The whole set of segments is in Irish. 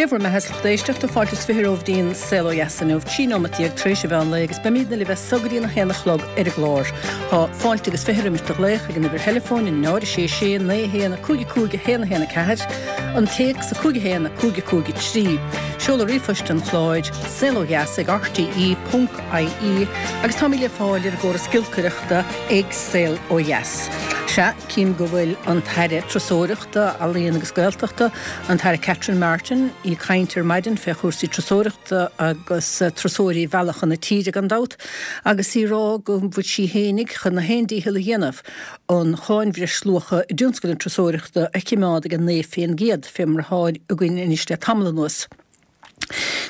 Dé bhur mbeatha, a lucht éisteachta, fáilte is 20 romhaibh dtí'n Saol Ó Dheas inniu, 13 nóimeat tar éis an mheán lae agus beimídne libh as so go dtí'n 1 a chlog ar an gclár. Tá fáilte agus 20 roimis do ghlaoch ag an uimhir theileafóin, 0 6 6 9 1 5 5 1 1 4, an téacs 5 1 5 5 3, seoladh ríomhphoist an chláir, saolodheas ag rte ponc ie agus táimid le fáil ar an gcóras giolcaireachta ag Saol Ó Dheas. Sea, cím go bhfuil an tAire Turasóireachta, Ealaíon agus Gaeltachta, an tAire Catherine Martin, í ag caint ar maidin fé chúrsaí turasóireachta agus turasóirí a mhealladh chun na tíre gan dabht, agus í ag rá go bhfuil sí fhéinig chun a haon dícheall a dhéanamh an cháin bhreisluacha i dtionscal na turasóireachta a chimeád ag 9% fé mar atá againn anois le tamall anuas.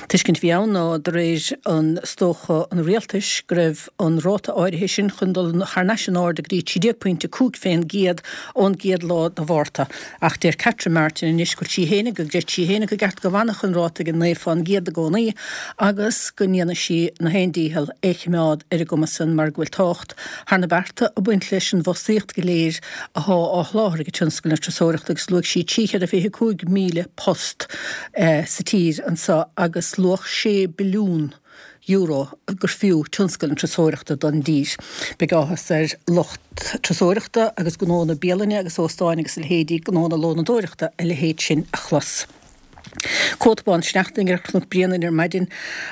Tuiscint a bhí ann ná, de réir an is dócha an rialtais, go raibh an ráta áirithe sin chun dul thar n-ais in airde go dtí 13 pointe 5 fén gcéad ón gcéad lá de Mhárta. Ach deir Catherine Martin anois go bhfuil sí fhéinig, go gcreid sí fhéinig go gceart go bhfanfadh an ráta ag 9 fán gcéad i gcónaí agus go ndéanfaidh sí na haon dícheall é chimeád ar an gcuma san mar go bhfuil tábhacht thar na bearta ag baint leis an bhfostaíocht go léir athá á sholáthar ag tionscal na turasóireachta agus luaigh sí 325,000 post sa tír anseo agus luach €6 billiún gur fiú tionscal na turasóireachta don dtír. Beidh áthas ar lucht turasóireachta agus gnónna bialainne agus óstáin agus a leithéidí, gnónna lónadóireachta a leithéid sin a chlos. Cóta bán sneachta ar Chnoc Bréanainn ar maidin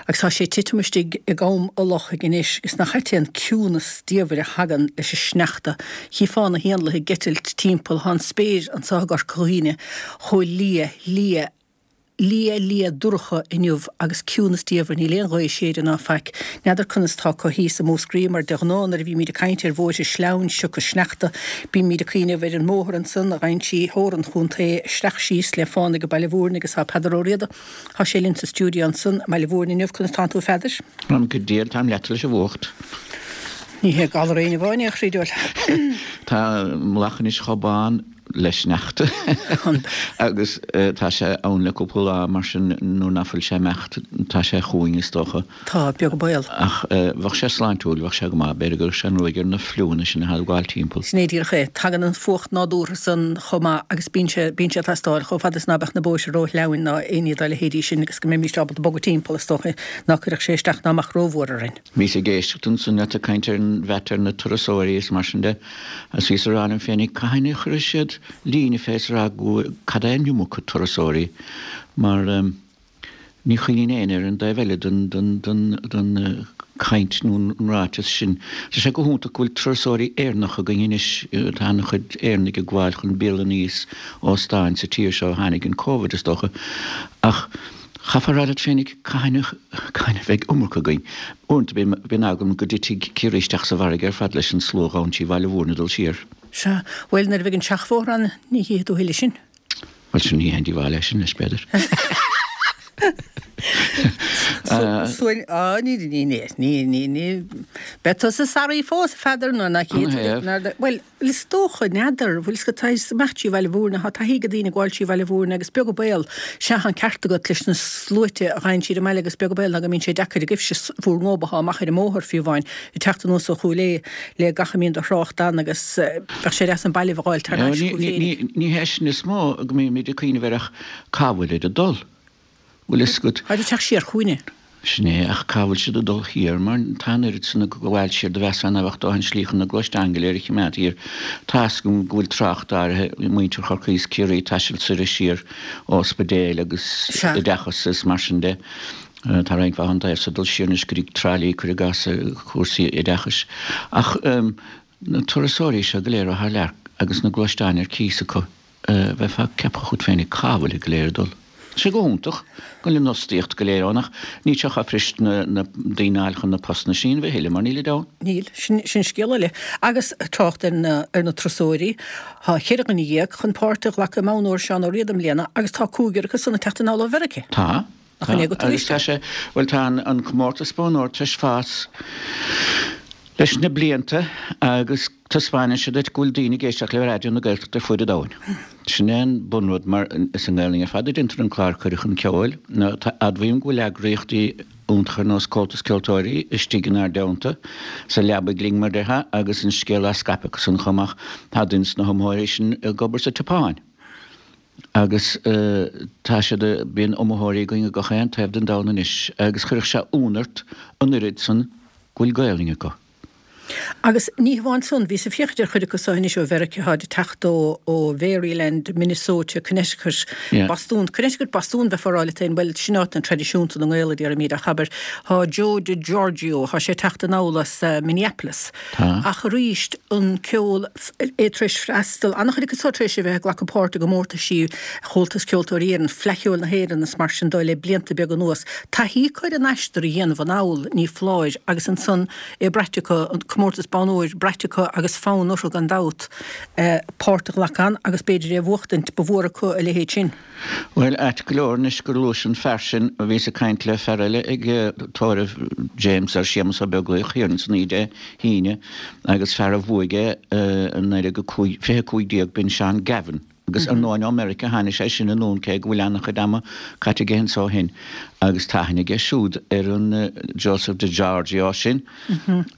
agus tá sé ag titim istigh i gCom a' Lochaigh anois agus nach ait é an ciúnas diamhair a thagann leis an sneachta. Chífeá na héanlaithe ag eitilt timpeall, tá an spéir anso i gCorca Dhuibhne chomh liath, liath, liath, liath dorcha inniu agus ciúnas diamhair, níl aon ghaoth ag séideadh ná faic. N'fheadar conas tá acu thíos i Múscraí mar de ghnáth nuair a bhímíd ag caint ar bhóithre sleamhain sioctha sneachta bímíd ag cuimhneamh ar an mbóthar ansan a ghabhann trí theorann chontae isteach síos le fánaidh Baile Mhúirne agus tá Peadar Ó Riada, tá sé linn sa stiúideo ansan i mBaile Mhúirne inniu, conas tánn tú a Pheadair? Táim go diail, táim leata leis an bhfuacht. Ní hé galar éinne amháin é a chroí diabhail. Tá an mullach anois chomh bán le sneachta agus tá sé ann le cúpla lá mar sin nuair ná fuil sé imeacht tá sé chugainn is dócha. Tá, beag an baol. Ach bheadh sé sláintiúil, bheadh sé go maith, b'fhéidir go gcuirfeadh sé an ruaig ar na fliúanna sin atá ag gabháil timpeall. Sin é díreach é. Tagann an fuacht nádúrtha san chomh maith agus bíonn sé, bíonn sé ag teastáil chomh fada is ná beadh na bóithre ró-shleamhain ná aon ní dá leithéidí sin agus go mbeimíst ábalta bogadh timpeall is dócha ná cuirfeadh sé isteach ná amach rómhór orainn. Bhíos ag éisteacht ansan leat ag caint ar an mheat ar na turasóirí is mar sin de agus bhíos ag rá liom féinig cathain a chuirfidh siad líne fé is a rá go bhfuil, cad é an iomarca turasóirí mar ní chuimhníonn éinne ar an dtaobh eile den, den, den, den chaint nó an ráiteas sin. Tá sé go hiontach go bhfuil turasóirí Éireannacha againn anois, tá an-chuid Éireannaigh ag gabháil chun bialanna is óstáin sa tír seo ó tháinig an Covid is dócha ach Chaithfeá a rá leat féinig cathain a cathain a bheidh iomarca againn. Uaireanta bíonn bíonn eagla orm go dtitfidh Ciarraí isteach sa bhfarraige ar fad leis an slua a ghabhann trí Bhaile Mhúirne ag dul siar. Sea, bhuel, nuair a bheidh an seachbhóthar ann, ní chífidh tú a thuilleadh sin. Bhuel, sin ní haon díobháil é sin leis, b'fhéidir. Suain, á, ní, ní, ní, ní, ní, ní, beidh tusa saraí fós, a Pheadair, nuair nach iad, Canathaobh? bhuel, Is dócha, n'fheadar, bhfuil 's agat, tá imeacht trí Bhaile Mhúirne, tá taithí ag daoine ag gabháil trí Bhaile Mhúirne agus beag an baol, sea, tá an ceart agat leis na sluaite a ghabhann siar an mbaile agus beag an baol ná go mbíonn sé deacair agaibhse bhur ngóba amach ar an mbóthar fiú amháin ag teacht anuas ó Chúil Aodha le gach a mbíonn de thrácht ann agus bheadh sé deas an baile a fháil thar n-ais chugaibh féinig. Ní hé sin is mó go mbímid ag cuimhneamh air ach cá bhfuilid ag dul? Bhfuil fhios agat. Táid ag teacht siar chugainne. Sin é, ach cá bhfuil siad ag dul thiar? Mar tá an oiread san ag gabháil siar do mheasfá ná beadh dóthain slí chun na gluaisteáin go léir a chimeád thiar. Tá's agam go bhfuil trácht áirithe, muintir Chorcaí is Ciarraí ag taisteal soir is siar ó ospidéil agus Sea. oideachas is mar sin de. Tá roinnt mhaith ón dtaobh so ag dul siar anois go dtí Trá Lí, cuir i gcás, cúrsaí oideachais. Ach na turasóirí seo go léir ó thar lear agus na gluaisteáin ar cíos acu. Bheifeá ag ceapadh chugat féinig cá bhfuilid go léir ag dul. Tá sé go hiontach go bhfuil an fhostaíocht go léir ann ach níl sé chomh fuirist na daoine a fháil chun na postanna sin a thuilleadh mar nílid ann. Níl. Sin scéal eile. Agus trácht ar na ar na turasóirí, tá 14 dhuine chun páirt a ghlacadh i mBonn Óir Seán Ó Riada i mbliana agus tá cúigear acu san ag teacht anall ó Mheiriceá. Tá. Nach in é go Agus tá sé, bhuel tá an comórtas Bonn Óir tar éis fás leis na blianta agus taispeánann sé duit go bhfuil daoine ag éisteacht le Raidió na Gaeltachta ar fuaid an domhain. Sin é an bunrud mar is i nGaelainn ar fad a déantar an clár Cuireadh Chun Ceoil. Nó tá, admhaím go bhfuil eagraíochtaí iontacha ar nós Comhaltas Ceoltóirí istigh inár dteannta, sa leabaidh linn mar déarfá, agus an scéal á scaipeadh acu san chomh maith. Tá duine de na hiomaitheoirí sin ag obair sa tSeapáin. Agus tá siad, bíonn iomaitheoirí againn i gach aon taobh den domhan anois agus chuirfeadh sé ionadh ort an oiread san go bhfuil Gaelainn acu. Agus ní hamháin san, bhíos ag féachaint ar chuid acu so anois ó Mheiriceá, tháid ag teacht ó ó Mharyland, Minnesota, Connecticut, Bostún, Connecticut, Bostún, bheifeá ag rá leat féin, bhuel, sin áit an-traidisiúnta na nGael, a déarfaimid, ach abair, thá Joe DiGiorgio, thá sé ag teacht anall as Minneapolis. Tá. Ach arís, an ceol, é tar éis freastal, an-chuid acu so tar éis a bheith ag glacadh páirt i gcomórtaisí Chomhaltas Ceoltóirí Éireann, Fleadh Cheoil na hÉireann is mar sin de le blianta beaga anuas. Taithí acu ar an aistear a dhéanamh anall, ní foláir, agus ansan é braite acu, an comórtas bonn óir braite acu agus fonn orthu gan dabht páirt a ghlacadh ann agus b'fhéidir é a bhuachtaint, ba mhór acu a leithéid sin. Bhuel, ait go leor anois gur luais an fear sin, bhíos ag caint le fear eile ag tórramh James ar Séamus Ó Beaglaoich thiar ansan oíche Dé hAoine agus fear a bhuaigh é i 1920 15 b'in Seán Gavin agus ar ndóigh ó Meiriceá a tháinig sé sin anonn cé go bhfuil an-chuid ama caite aige anso ó shin agus tá aithne aige siúd ar an Joseph DiGiorgio sin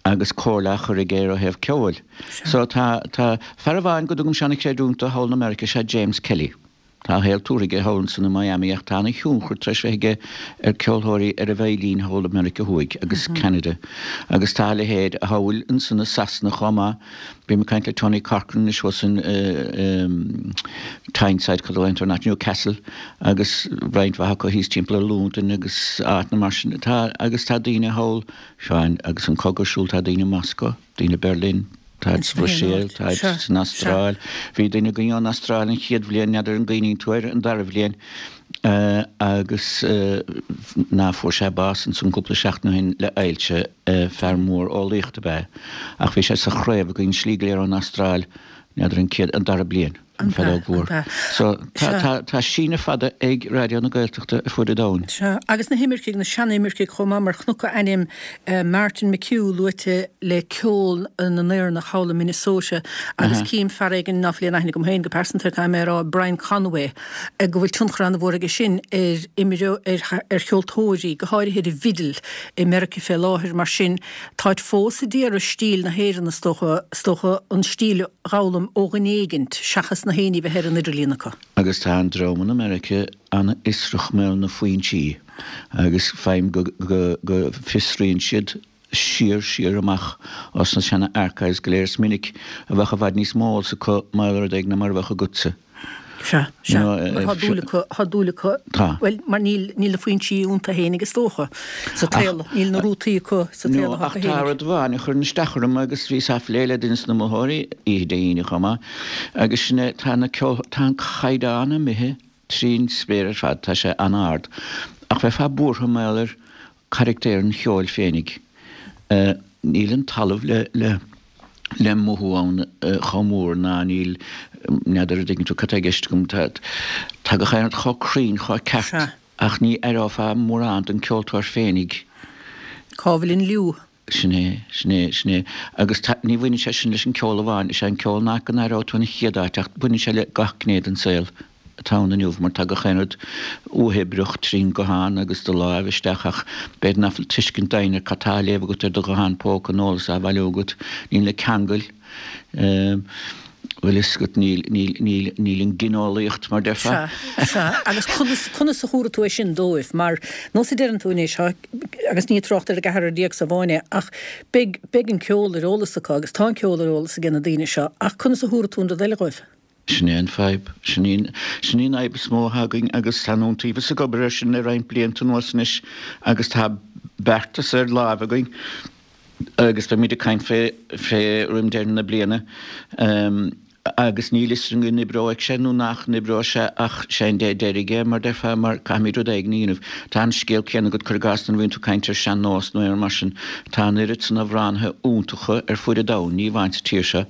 agus comhairle á chur aige air ó thaobh ceoil. So tá, tá, fear amháin go dtugaimse an-chreidiúint dó thall in America is ea James Kelly. Tá a shaol tabhartha aige thall ansan i Miami ach tá ana-thionchar tar éis bheith aige ar ceolthóirí ar an veidhlín thall i Meiriceá Thuaidh agus Ceanada. Agus tá a leithéid thall ansan i Sasana chomh maith. Bím ag caint le Tony Corcoran anois thuas in Tyneside, cad a glaonn tú Newcastle agus roinnt mhaith acu thíos timpeall ar Londain agus áiteanna mar sin. Tá, agus tá daoine thall, Seáin, agus an cogadh ar siúl, tá daoine i Moscow, daoine i Berlin, Táid sa Bhruiséil, táid san Astráil. Bhí duine againn ón Astráil an chéad bhliain, n'fheadar an gcuimhníonn tú air, an dara bhliain, agus ná fuair sé bás ansan cúpla seachtain ó shin le ailse, fear mór eolaíochta ab ea é. Ach bhí sé sa chraobh againn slí go léir ón Astráil, n'fheadar an chéad, an dara bliain. An fheadóg mhór. So, tá, tá síneadh fada ag Raidió na Gaeltachta ar fuaid an domhain. Sea, agus na himircigh, na sean-imircigh chomh maith, mar chonac ainm Martin McHugh luaite le ceol na nÉireannach thall i Minnesota agus cím fear éigin ná fuil aon aithne agam féin go pearsanta air, caithfidh mé a rá, Brian Conway, go bhfuil tionchar an-mhór aige sin ar imreoirí, ar, ar cheoltóirí, go háirithe ar an bhfidil i Meiriceá fé láthair. Mar sin, táid fós a d'iarraidh stíl na hÉireann, is dócha, is dócha an stíl a. dh'fhoghlaim ó dhuine éigint seachas na héinní bheith ar an idirlíon acu. Agus tá an dream in America an-fhiosrach mar gheall ar na foinsí agus faighim go go fiosraíonn siad siar siar amach as na seana archives go léir. Is minic a bheadh i bhfad níos mó eolas acu mar gheall ar rud éigin ná mar a bheadh agatsa. Sea, sea. Mar tá dúil acu, tá dúil acu, bhuel, mar níl, níl na foinsí iontu fhéinig is dócha, sa tsaol, níl na rútaí acu sa tsaol atá acu fhéinig. Ach tá rud amháin a chuireann isteach orm agus bhíos á phlé le duine de na hiomaitheoirí oíche Dé hAoine chomh maith, agus sin é, tá na ceol, tá an caighdeán imithe trín spéir ar fad, tá sé an-ard. Ach bheifeá buartha mar gheall ar carachtar an cheoil féinig. Níl an talamh le le le mothú ann chomh mór ná níl, n'fheadar an dtuigeann tú cad tá i gceist agam, tá tá gach aon rud chomh cruinn, chomh ceart ach ní aireofá mórán den ceoltóir féinig. Cá bhfuil an liú? Sin é, sin é, sin é. Agus tá, ní bhaineann sé sin leis an ceol amháin, is é an ceol an áit go n-aireoidh tú an chéad áit ach baineann sé le gach gné den saol. atá ann inniu mar tá gach aon rud uathoibríoch trín guthán agus do láimh isteach ach b'fhéidir nach bhfuil tuiscint doimhin ar cad tá á léamh agat ar do ghuthán póca an eolas á bhailiú agat. Níl na ceangail, bhfuil fhios agat, níl, níl, níl, níl an ghineolaíocht mar déarfá. Sea, sea. Agus conas, conas a thabharfaidh tú é sin dóibh? Mar, nós a deireann tú anois, tá, agus ní ag trácht ar an gceathrar déag so amháin é, ach beidh, beidh an ceol ar eolas acu agus tá an ceol ar eolas age na daoine seo ach conas a thabharfaidh tú an rud eile dhóibh? Sin é an fadhb. Sin í sin í an fhadhb is mó atá againn agus tá an Iontaobhas ag obair air sin le roinnt blianta anuas anois agus tá beartas ar láimh againn agus beimid ag caint fé fé roim deireadh na bliana agus níl fhios againn an oibreoidh sé nó nach n-oibreoidh sé ach sé an dé deiridh é mar déarfá mar caithfimid rud éigin a dhéanamh. Tá an scéal céanna agat cuir i gcás nuair a bhíonn tú ag caint ar sean-nós nó aon rud mar sin tá an oiread san amhránaithe iontacha ar fuaid an domhain, ní amháin sa tír seo,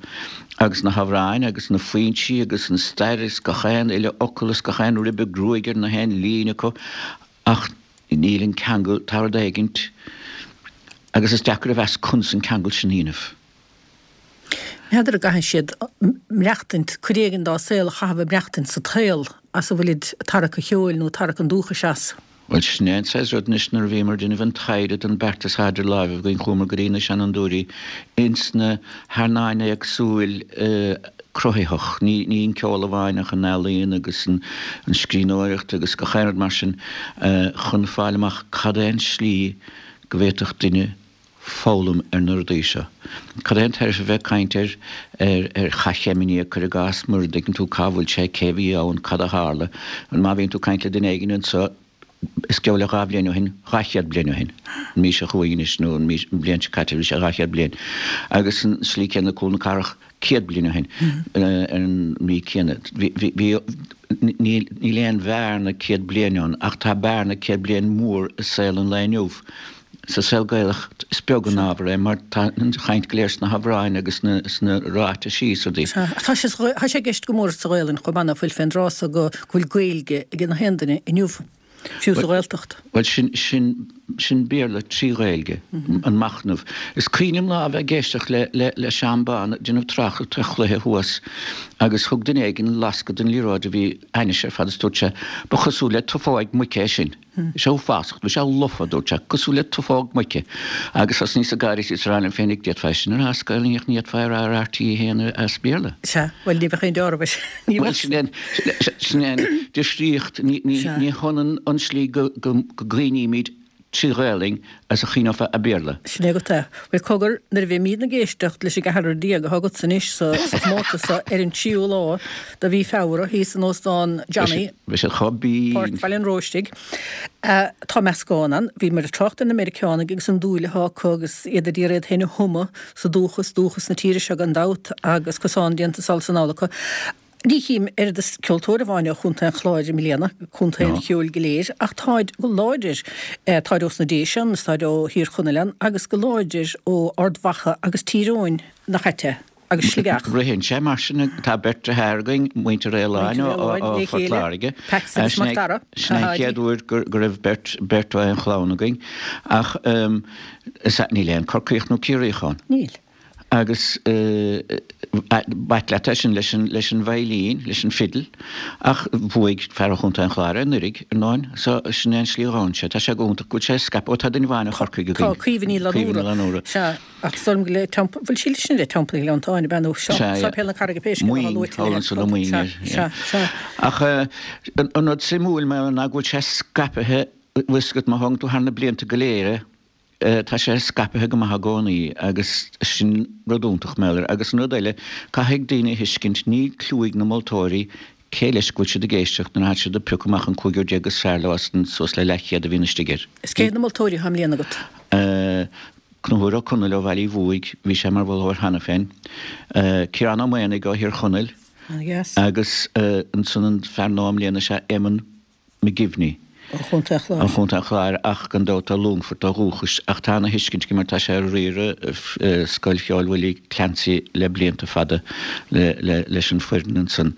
Agus na hamhráin agus na foinsí agus an stair is gach aon uile fhocal is gach aon ribe gruaige ar na haon líne acu ach níl an ceangal, tá rud éigint agus is deacair a mheas conas an ceangal sin a dhéanamh. N'fheadar an gcaithfidh siad maireachtaint, cuid éigin dá saol a chaitheamh ag maireachtaint sa tsaol as a bhfuilid ag tarrac an cheoil nó ag tarrac an dúchais as. Bhuel, sin é an saghas rud anois, nuair a bhíomar ag déanamh an taighde don beartas atá idir láimhe againn, chuamar go dtí na seanfhondúirí ins na hearnáin éagsúil. Cruthaitheach, ní ní an ceol amháin ach an ealaíon agus an scríbhneoireacht agus gach aon rud mar sin, chun fáil amach cad é an slí go bhféadfadh duine foghlaim ar na rudaí seo. Cad é an tairbhe a bheith ag caint ar ar ar Chath Chemini, cuir i gcás, mura dtuigeann tú cá bhfuil sé, cé bhí ann, cad a tharla. Má bhíonn tú ag caint le duine éigin anseo, Is geall le 2 bhliain ó shin, 200 bliain ó shin, an mhí seo chugainn anois nó an mhí, an bhliain seo caite, bhí sé 200 bliain. Agus an slí céanna Cúl na Cathrach 100 bliain ó shin, ar an mhí céanna. Bhí, bhí, bhí, níl, níl aon bhearna 100 bliain ann ach tá bearna 100 bliain mór i saol an lae inniu. Sa saol Gaelach is beag an ábhar é mar tá an chaint go léir sna hamhráin agus sna ráitisí is rudaí. Sea, ach tá sé tá sé i gceist go mór sa Ghaelainn chomh maith ná fuil fén dtráth so go bhfuil Gaeilge ag gach aon duine inniu, fiú sa Ghaeltacht. Bhuel, sin, sin, sin Béarla trí Ghaeilge, an machnamh. Is cuimhin liom lá a bheith ag éisteacht le, le, le Seán Bán ag déanamh tráchtaireacht ar chluiche thuas agus thug duine éigin lascadh don liathróid a bhí ainnis ar fad is dúirt sé, ba chosúil le tufóig muice é sin. Bhí sé uafásach, bhí sé lofa, a dúirt sé, cosúil le tufóg muice. Agus thosnaíos ag gáire is ag rá liom féinig, d'fhéadfá é sin a rá as Gaelainn ach ní fhéadfá é a rá ar RTÉ 1 as Béarla. Sea, bhuel, ní bheadh aon deáramh air. Ní Bhuel, sin é an, sin é an difríocht, ní, ní, ní hionann an slí go, go, go gcuimhnímid trí Ghaelainn as a chuimhneofá i Béarla. Sin é agat é. Bhuel, cogar, nuair a bheimídne ag éisteacht leis an gceathrar déag atá agatsa anois sa chomórtas so ar an tríú lá de mhí Feabhra thíos in Óstán Johnny, Beidh siad chomh binn. Páirc Bhaile an Róistigh. Tá meascán ann. Bhíomar ag trácht ar na Meiriceánaigh agus an dúil atá acu agus iad ag iarraidh iad féin a thumadh sa dúchas, dúchas na tíre seo gan dabht, agus cosán déanta sall is anall acu. Ní chím oiread is ceoltóir amháin ó Chontae an Chláir i mbliana, contae an cheoil go léir, ach táid go láidir, táid ós na Déise ann is táid ó Thír Chonaill ann agus go láidir ó Ard Mhacha agus Tír Eoghain, nach ait é? Agus Sligeach. Ritheann sé mar sin, tá beirt deartháir againn, muintir Fhaoláin ó Phort Láirge. Patsy agus Mac Dara. Sin é an chéad uair go raibh beirt, beirt ó aon chlann againn. Ach is ea, níl aon Corcaíoch nó Ciarraíoch ann. Níl. Agus b'ait leat é sin leis an, leis an veidhlín, leis an fiddle, ach bhuaigh fear ó Chontae an Chláir é anuraidh, ar ndóin, so sin é an slí a ghabhann sé. Tá sé go hiontach go bhfuil sé scaipthe, ó tá duine amháin ó Chorcaigh againn. Tá, Caoimhe Ní Fhlannúra. Sea, ach is dóigh liom go le Teampall, bhfuil sí leis sin le Teampall Ghleanntáin, ab ea, nó Séipéal na Carraige pé scéal atá luaite le Maoin, thall ansan Maoin, Sea, sea, sea. Ach an rud suimiúil mar ná go bhfuil sé scaipthe, bhfuil 'fhios agat, má thógann tú thar na blianta go léir é, Tá sé scaipthe go maith i gcónaí agus sin rud iontach, mar gheall air. Agus an rud eile, caithfidh daoine a thuiscint, níl cliú ag na moltóirí cé leis go bhfuil siad ag éisteacht nuair atá siad ag piocadh amach an cúigear déag is fearr leo as an suas le leathchéad a bhíonn istigh air. Is cé hiad na moltóirí atá i mbliana agat? Conchúr Ó Conaill ó Bhaile Uí Bhuaigh, bhí sé mar mholtóir cheana féin. Ciarán Ó Maonaigh ó Thír Chonaill. Agus ansan an fear nua i mbliana is ea Éamonn McGivney. Ó Chontae an Chláir. Ó Chontae an Chláir ach gan dabht ó Longfort ó dhúchas ach tá ana thuiscint aige mar tá sé ag riaradh Scoil Cheoil Willie Clancy le blianta fada leis an foireann ansan.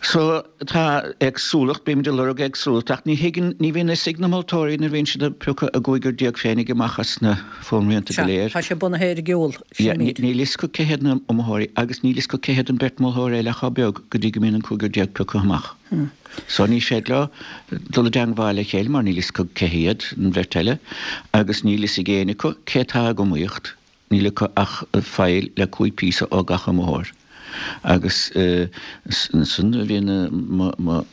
So tá éagsúlacht, bímid ag lorg éagsúlacht ach ní thuigeann, ní bhíonn fhios ag na moltóirí nuair a bhíonn siad ag piocadh a gcúigear déag féinig amach as na fuaimrianta go léir. Sea, tá sé bunaithe ar an gceol, sin an méid. Níl fhios acu cé hiad na iomaitheoirí agus níl fhios acu cé hiad an beirt mholtóir eile chomh beag go dtí go mbíonn an cúigear déag pioctha amach. So ní féidir leo dul i dteangmháil le chéile mar níl fhios acu cé hiad an bheirt eile agus níl fhios ag éinne acu cé atá ag iomaíocht, níl acu ach file le 5 píosa ó gach iomaitheoir. Agus ansan a bhíonn mo, mo,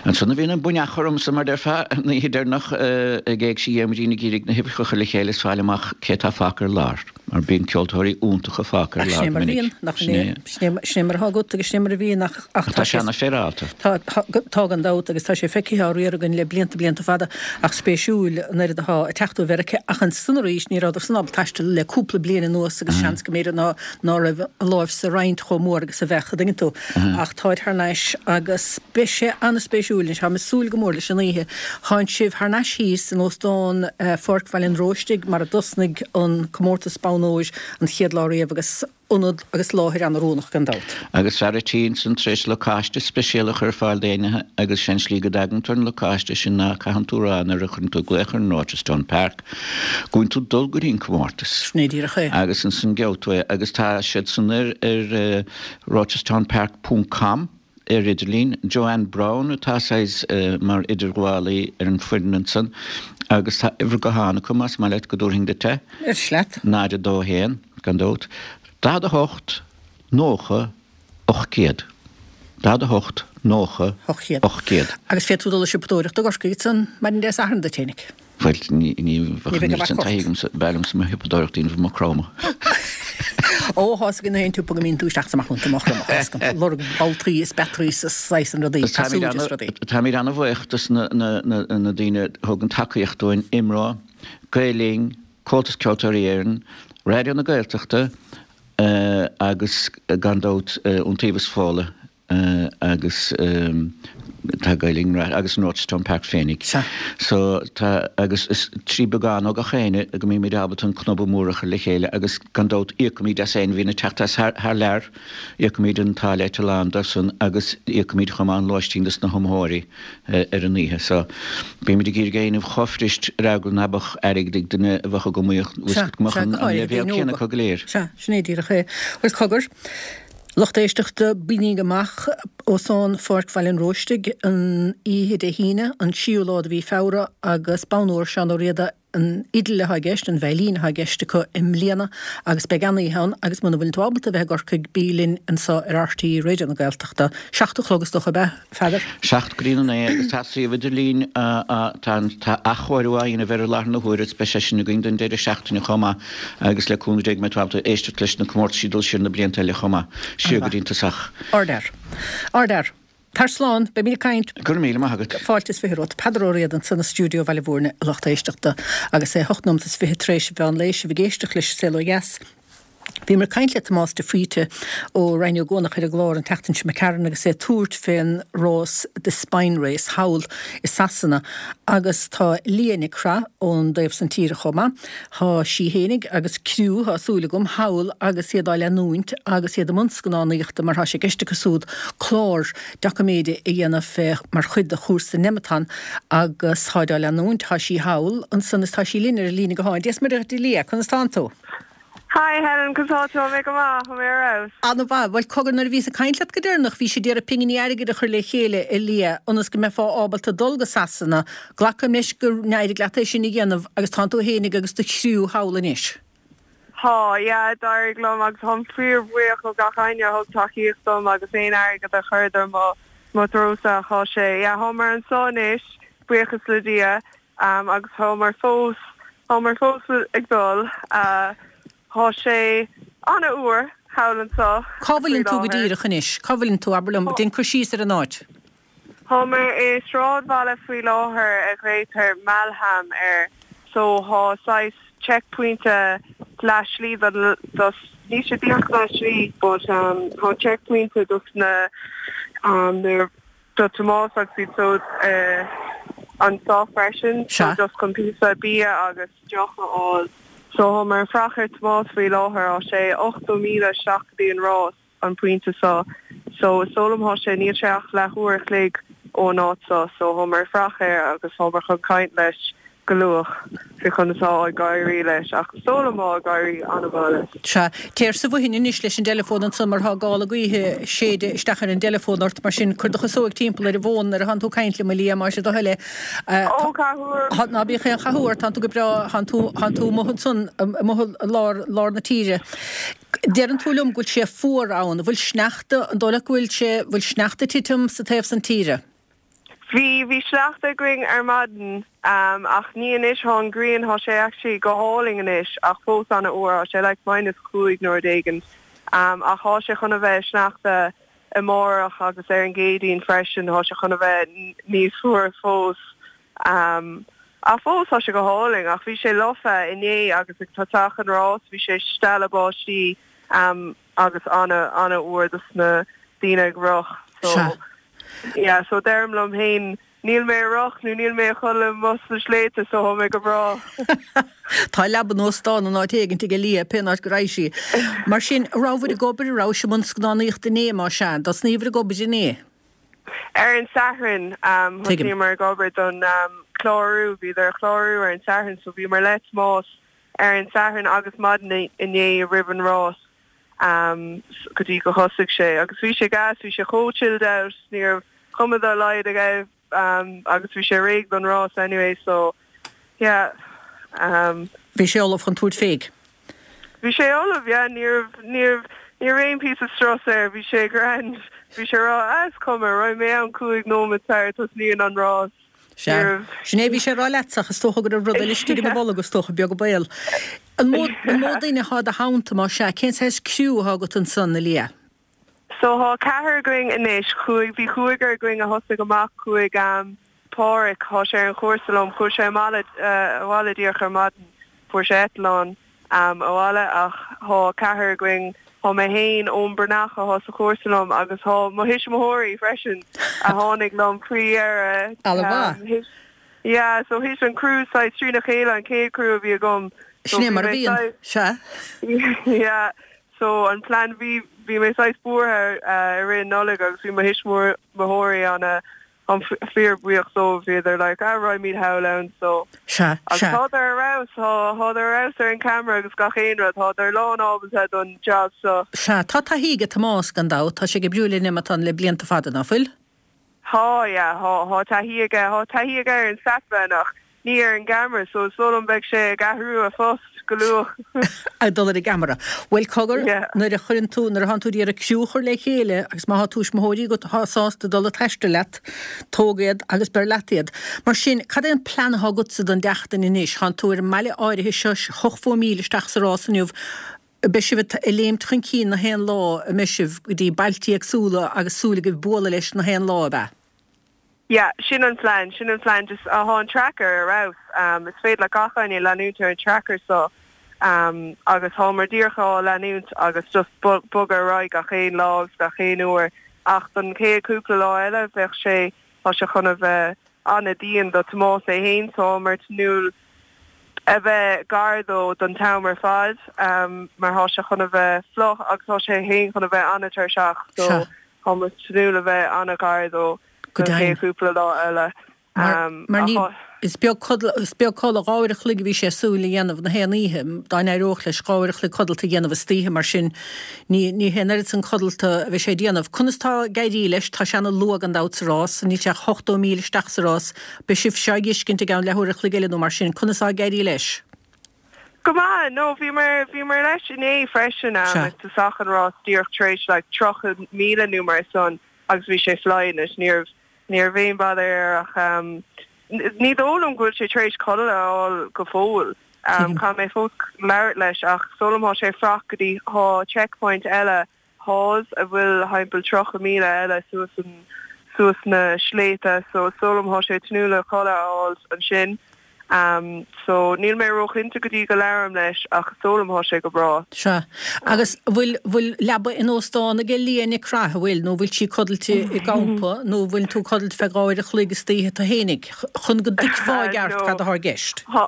ansan a bhíonn an buinneach ormsa mar déarfá, an oíche deireanach ag Éigse Dhiarmuidín ag iarraidh na huimhreacha a chur le chéile is fáil amach cé atá fágtha ar lár. Mar bíonn ceoltóirí iontacha fágtha ar lár go minic. Sin é mar a bhíonn, nach sin é? Sin é mar atá agat agus sin é mar a bhíonn ach ach tá sé ana-fhéaráilte. Tá, tá gan dabht agus tá sé feicthe á riar againn le blianta, blianta fada ach spéisiúil an oiread atá ag teacht ó Mheiriceá ach ansan arís ní rabhadar san ábalta taisteal le cúpla bliain anuas agus seans go mb'fhéidir ná ná raibh a láimh sa roinnt chomh mór agus a bheadh, a dtuigeann tú. Ach táid thar n-ais agus beidh sé an-spéisiúil anois. Táim ag súil go mór leis an oíche. Tánn sibh thar n-ais thíos in Óstán Pháirc Bhaile an Róistigh mar a dtosnaigh an comórtas Bonn Óir an chéad lá riamh agus ionad agus láthair an-oiriúnach gan dabht. Agus fear a' tí ansan tar éis lacáiste speisialta a chur ar fáil d'éinne agus sé an slí go dtagann tú ar an lacáiste sin ná caitheann tú rá nuair a chuireann tú glaoch ar an Rochestown Park go bhfuil tú ag dul go dtí an comórtas. Sin é díreach é. Agus ansan gheobhaidh tú é agus tá siad san ar ar rochestownpark ponc com. ar idirlíon. Joanne Browne atá saghas mar idirghabhálaí ar an foireann ansan agus tá uimhir gutháin acu más maith leat go dtabharfainn duit é. Ar leat. 0 2 1, gan dabht, 48 90. 800. 48, 90, 800. 800. Agus féadfaidh tú dul ag siopadóireacht i gCorcaigh ansan maidin Dé Sathairn duit fhéinig. Bhuel, ní bheadh an oiread sin taithí agamsa, b'fhearr liomsa mo shiopadóireacht a dhéanamh i Maigh Chromtha. Ó, thá's againn na haon tsiopa go mbíonn tú isteach is amach iontu, Maigh Chromtha, thá's agam, ag lorg boltaí is batteries is saghas an rudaí, casúir is rudaí. Táimid ana-bhuíoch dos na daoine a thugann tacaíocht dúinn, IMRO, Gael Linn, Comhaltas Ceoltóirí Éireann, Raidió na Gaeltachta agus gan dabht Iontaobhas Fódhla agus tá Gael Linn agus an Rochestown Park féinig. Sea. So tá agus is trí beagán ó gach éinne go mbímid ábalta an cnóbha mór a chur le chéile agus gan dabht íocaimid as éinne a bhíonn ag teacht as thar lear, íocaimid an táille eitleáin dóibhsan agus íocaimid chomh maith an lóistín dos na hiomaitheoirí. ar an oíche. So, bímid ag iarraidh é a dhéanamh chomh fuirist ar eagla ná beadh airgead ag duine a bheadh ag iomaíocht, bhfuil 's agat, go mbeadh an leibhéal céanna acu go léir. Sea, sin é díreach é. Bhuel, cogar, lucht éisteachta, bígí amach Óstán Pháirc Bhaile an Róistigh an oíche Dé hAoine, an tríú lá de mhí Feabhra agus bonn óir Seán Ó Riada, An fhidil atá i gceist, an veidhlín atá i gceist acu i mbliana agus beidh an-oíche ann agus muna bhfuileann tú ábalta a bheith i gCorcaigh bí linn anseo ar RTÉ Raidió na Gaeltachta. 7 a chlog is dócha ab ea, a Pheadair? 7 go dtí a 9 agus tá suíomh idirlín tá tá athchóiriú á dhéanamh air i láthair na huaire agus beidh sé sin againn don deireadh seachtaine chomh maith agus le cúnamh Dé go mbeidh tú ábalta éisteacht leis na comórtaisí dul siar na blianta eile chomh maith, siar go dtí an tosach. Ardfhear. Ardfhear. Tar slán, beimid ag caint. Go raibh míle maith agat. Fáilte is 20 romhat. Peadar Ó Riada ansan i stiúideo Bhaile Bhúirne, a lucht éisteachta. Agus é 8 nóimeat is 20 tar éis an mheán lae, sibh ag éisteacht leis An Saol Ó Dheas. Bhíomar ag caint le Tomás de Faoite ó Rinn Ó gCuanach ar an gclár an tseachtain seo imigh tharainn agus é ag tabhairt fén rás The Spine Race thall i Sasana agus tá Liadh Nic Craith ón dtaobh san tíre chomh maith. Tá sí fhéinig agus criú, tá súil agam, thall agus iad á leanúint agus iad i mbun scannánaíochta mar tá sé i gceist acu súd clár doiciméide a dhéanamh fé mar chuid de chúrsa Nemeton agus táid á leanúint. Tá sí thall ansan is tá sí linn ar an líne gutháin. Dia is Muire dhuit a Liadh, conas tánn tú? Hi Helen, conas tá tú? Tá mé go maith, tá mé ar fheabhas. Ana-mhaith. Bhuel, cogar, nuair a bhíos ag caint leat go deireanach, bhís ag iarraidh pinginí airgid a chur le chéile, a Liadh, ionas go mbeifeá ábalta dul go Sasana. Glacaim leis gur éirigh leat é sin a dhéanamh agus tánn tú fhéinig agus do chriú thall anois. Tá, yeah, d'éirigh liom agus táim fíor-bhuíoch ó gach éinne a thug tacaíocht dom agus aon airgead a chuireadar mo mo threosa, tá sé, yeah, táimar anso anois, buíochas le Dia. Agus táimar fós, táimar fós ag dul. Tá sé an-fhuar thall anseo Cá bhfuileann tú go díreach anois? Cá bhfuileann tú? Abair liom, déan cur síos ar an áit. Táimar i sráidbhaile faoi láthair a ghlaotar Malham air. So tá saghas checkpointe leath slí don, dos, níl sé díreach leath slí but tá checkpointe dos na, na, do Tomás agus iad siúd anseo freisin so just chun píosa bia agus deoch a fháil. So táimar ag fuireach ar Tomás faoi láthair, tá sé 80 míle isteach go dtí an rás an pointe seo so is dóigh liom tá sé, níl sé ach leath uair a chloig ón áit seo so táimar ag fuireach air agus táimar chun caint leis go luath faoi conas atá ag éirí leis ach is dóigh liom tá ag éirí an-mhaith leis. Sea. Téir sa bhfothain anois leis an dteileafón ansan mar tá gála gaoithe ag séideadh isteach ar an dteileafón ort, mar sin cuir do chasóig timpeall ar an bhfón nuair atánn tú ag caint liom, a Liadh, más é do thoil é. Ó, cathú orm! Ná bíodh aon chathú ort, tánn tú go breá, tánn tú, tánn tú amuigh ansan, amuigh i lár, lár na tíre. Deireann tú liom go bhfuil sé fuar ann, an bhfuil sneachta, an dóigh leat go bhfuil sé, bhfuil sneachta ag titim sa taobh san tíre? Bhí, bhí sneachta againn ar maidin ach ní anois, thá an ghrian, thá sé actually go hálainn anois ach fós an-fhuar, thá sé like minus 5 nó rud éigin ach thá sé chun a bheith sneachta amárach agus ar an gCéadaoin freisin, thá sé chun a bheith níos fuaire fós ach fós thá sé go hálainn ach bhí sé lofa inné agus ag tosach an rás bhí sé stealladh báistí agus ana ana fhuar dos na daoine ag rith so yeah so deirim liom féin níl mé ag rith nó níl mé ag codladh amuigh sna sléibhte so thá mé go breá. Tá leaba in óstán in áit éigint ag Liadh pén áit go raghaidh sí. Mar sin, a rabhabhair ag obair, a rabhais i mbun scannánaíochta inné más ea, dtosnaíobhair ag obair inné? Ar an Satharn thosaíomar ag obair don clárú, bhíodar ag clárú ar an Satharn so bhíomar le Tomás ar an Satharn agus maidin inné roimh an rás go dtí go thosaigh sé agus bhí sé gas, bhí sé chomh chilled out, ní raibh cuma dá laghad aige agus bhí sé réidh don rás anyway so yeah. Bhí sé ullamh chun tabhairt fé. Bhí sé ullamh, yeah, ní raibh, ní raibh, Ní raibh aon píosa strus air, bhí sé grand. Bhí sé ag rá, ah is cuma, raghaidh mé ann 5 nóiméad sara tosnaíonn an rás. Sea. Sin é a bhí sé ag rá leatsa ach is dócha go raibh rud eile istigh ina bholg, is dócha, beag an baol. An mó, an mó duine atá i do theannta, más ea, cén saghas criú atá agat ansan, a Leah? So thá ceathrar againn anois, chuaigh, bhí cúigear againn a thosaigh amach, chuaigh ehm Páraic, thá sé ar an chúrsa liom, chuaigh sé amale, abhaile díreach ar maidin, fuair sé eitleán ehm abhaile ach thá ceathrar againn, thá mé fhéin, Eoin Breathnach athá sa chúrsa liom agus thá mo thuismitheoirí freisin a tháinig liom faoi dheireadh Ana mhaith. Yeah, so thit an criú saghas trína chéile, an chéad criú a bhí agam. So Sin é mar a bhíonn, sea. Yeah, so an plean, bhí, bhí mé saghas buartha i rith na Nollag agus bhí mo thuismitheoirí ana, táim fíor buíoch dóibh, bhíodar like ah raghaimid thall ann so. Sea, Agus sea. thádar ar fheabhas, thá, thádar ar fheabhas ar an camera agus gach aon rud, thádar lán ábalta don job so. Sea, tá taithí aige Tomás gan dabht, tá sé ag oibriú le Nemeton le blianta fada, ná fuil? Thá, yeah, thá, thá taithí aige, thá taithí aige ar an SatVan ach ní ar an gceamara, so is dóigh liom beidh sé ag athrú a phost go luath. Ag dul ar an gceamara. Bhuel, cogar, Yeah. nuair a chuireann tú, nuair atánn tú ag iarraidh criú a chur le chéile agus má thá tuismitheoirí agat athá sásta dul ag taisteal leat, tóg iad agus beir leat iad. Mar sin, cad é an plean athá agatsa don tseachtain anois? Thánn tú ar an mbaile áirithe seo, 80 míle isteach sa rás inniu, Beidh sibh ag léimt chun cinn na haon lá, an mbeidh sibh, go dtí bailtí éagsúla agus súil agaibh bualadh leis na haon lá, ab ea? Yeah, sin an plean, sin an plean, just thá an tracker ar fheabhas, is féidir le gach éinne leanúint ar an tracker so agus thámar díreach á leanúint agus just bogadh ar aghaidh gach aon lá agus gach aon uair ach don chéad cúpla lá eile bheadh sé, tá sé chun a bheith an-dian do Tomás é fhéin so thámar ag tnúth a bheith gar dó don t-am ar fad mar thá sé chun a bheith fliuch agus tá sé fhéin chun a bheith an-tuirseach so tá muid ag tnúth le bheith an-ghar dó don chéad chúpla lá eile. Mar ní, is beag codladh, is beag codladh, 2 uair a chloig a bhí sé ag súil a dhéanamh na haon oíche, dá n-éireodh leis 2 uair a chloig codlata a dhéanamh istoíche mar sin ní, ní hé an oiread san codlata a bheidh sé ag déanamh. Conas tá ag éirí leis? Tá sé ana luath gan dabht sa rás, níl sé ach 80 míle isteach sa rás. Beidh sibh seo á fheiscint i gceann leathuair a chloig eile nó mar sin. Conas tá ag éirí leis? Go maith. No, bhíomar, bhíomar leis inné freisin Sea. ag tosach an rás díreach tar éis like 30,000 nó mar san agus bhí sé flying it. Ní raibh, ní raibh aon bother air ach ní dóigh liom go bhfuil sé tar éis codladh a fháil go fóill. Tuigim. Caithfidh mé fós labhairt leis ach is dóigh liom thá sé ag fuireacht go dtí, thá checkpoint eile Hawes a bhfuil thimpeall 30,000 eile suas an suas na sléibhte so is dóigh liom thá sé ag tnúth le codladh a fháil ansin so níl mé róchinnte go dtí go labhraim leis ach is dóigh liom thá sé go breá. Sea. Agus bhfuil bhfuil leaba in óstán aige Leah Nic Craith, an bhfuil, nó bhfuil sí codlailte i gcampa nó bhfuil tú codlailte feadh 2 uair a chloig istoíche tú fhéinig chun go dtuigfeá i gceart No. cad athá i gceist? Thá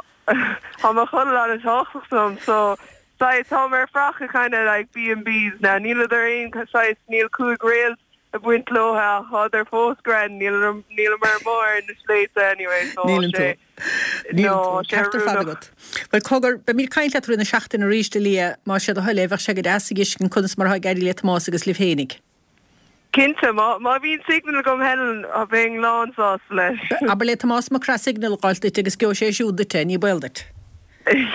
thá mo chodladh an-tábhachtach dom so Saghas, táim ar fuireach i kinda like B and Bs now, níleadar aon saghas, níl 5 réalt ag baint leo ach thádar fós grand, níl, níleamar amuigh ar na sléibhte anyway so tá Níleann tú. sé, Níleann no, tú. tá sé Ceart ar fad oiriúnach. agat. Bhuel, cogar, beimid ag caint leat i rith na seachtaine arís, a Leah, más sé do thoil é, bheadh sé go deas a fheiscint conas mar atá ag éirí le Tomás agus libh fhéinig. Cinnte, má, má bhíonn signal agam Helen, bheinn lán sásta leis. Abair le Tomás Mac Craith signal a dh'fháilt duit agus gheobhaidh sé siúd duit é, ní baol duit.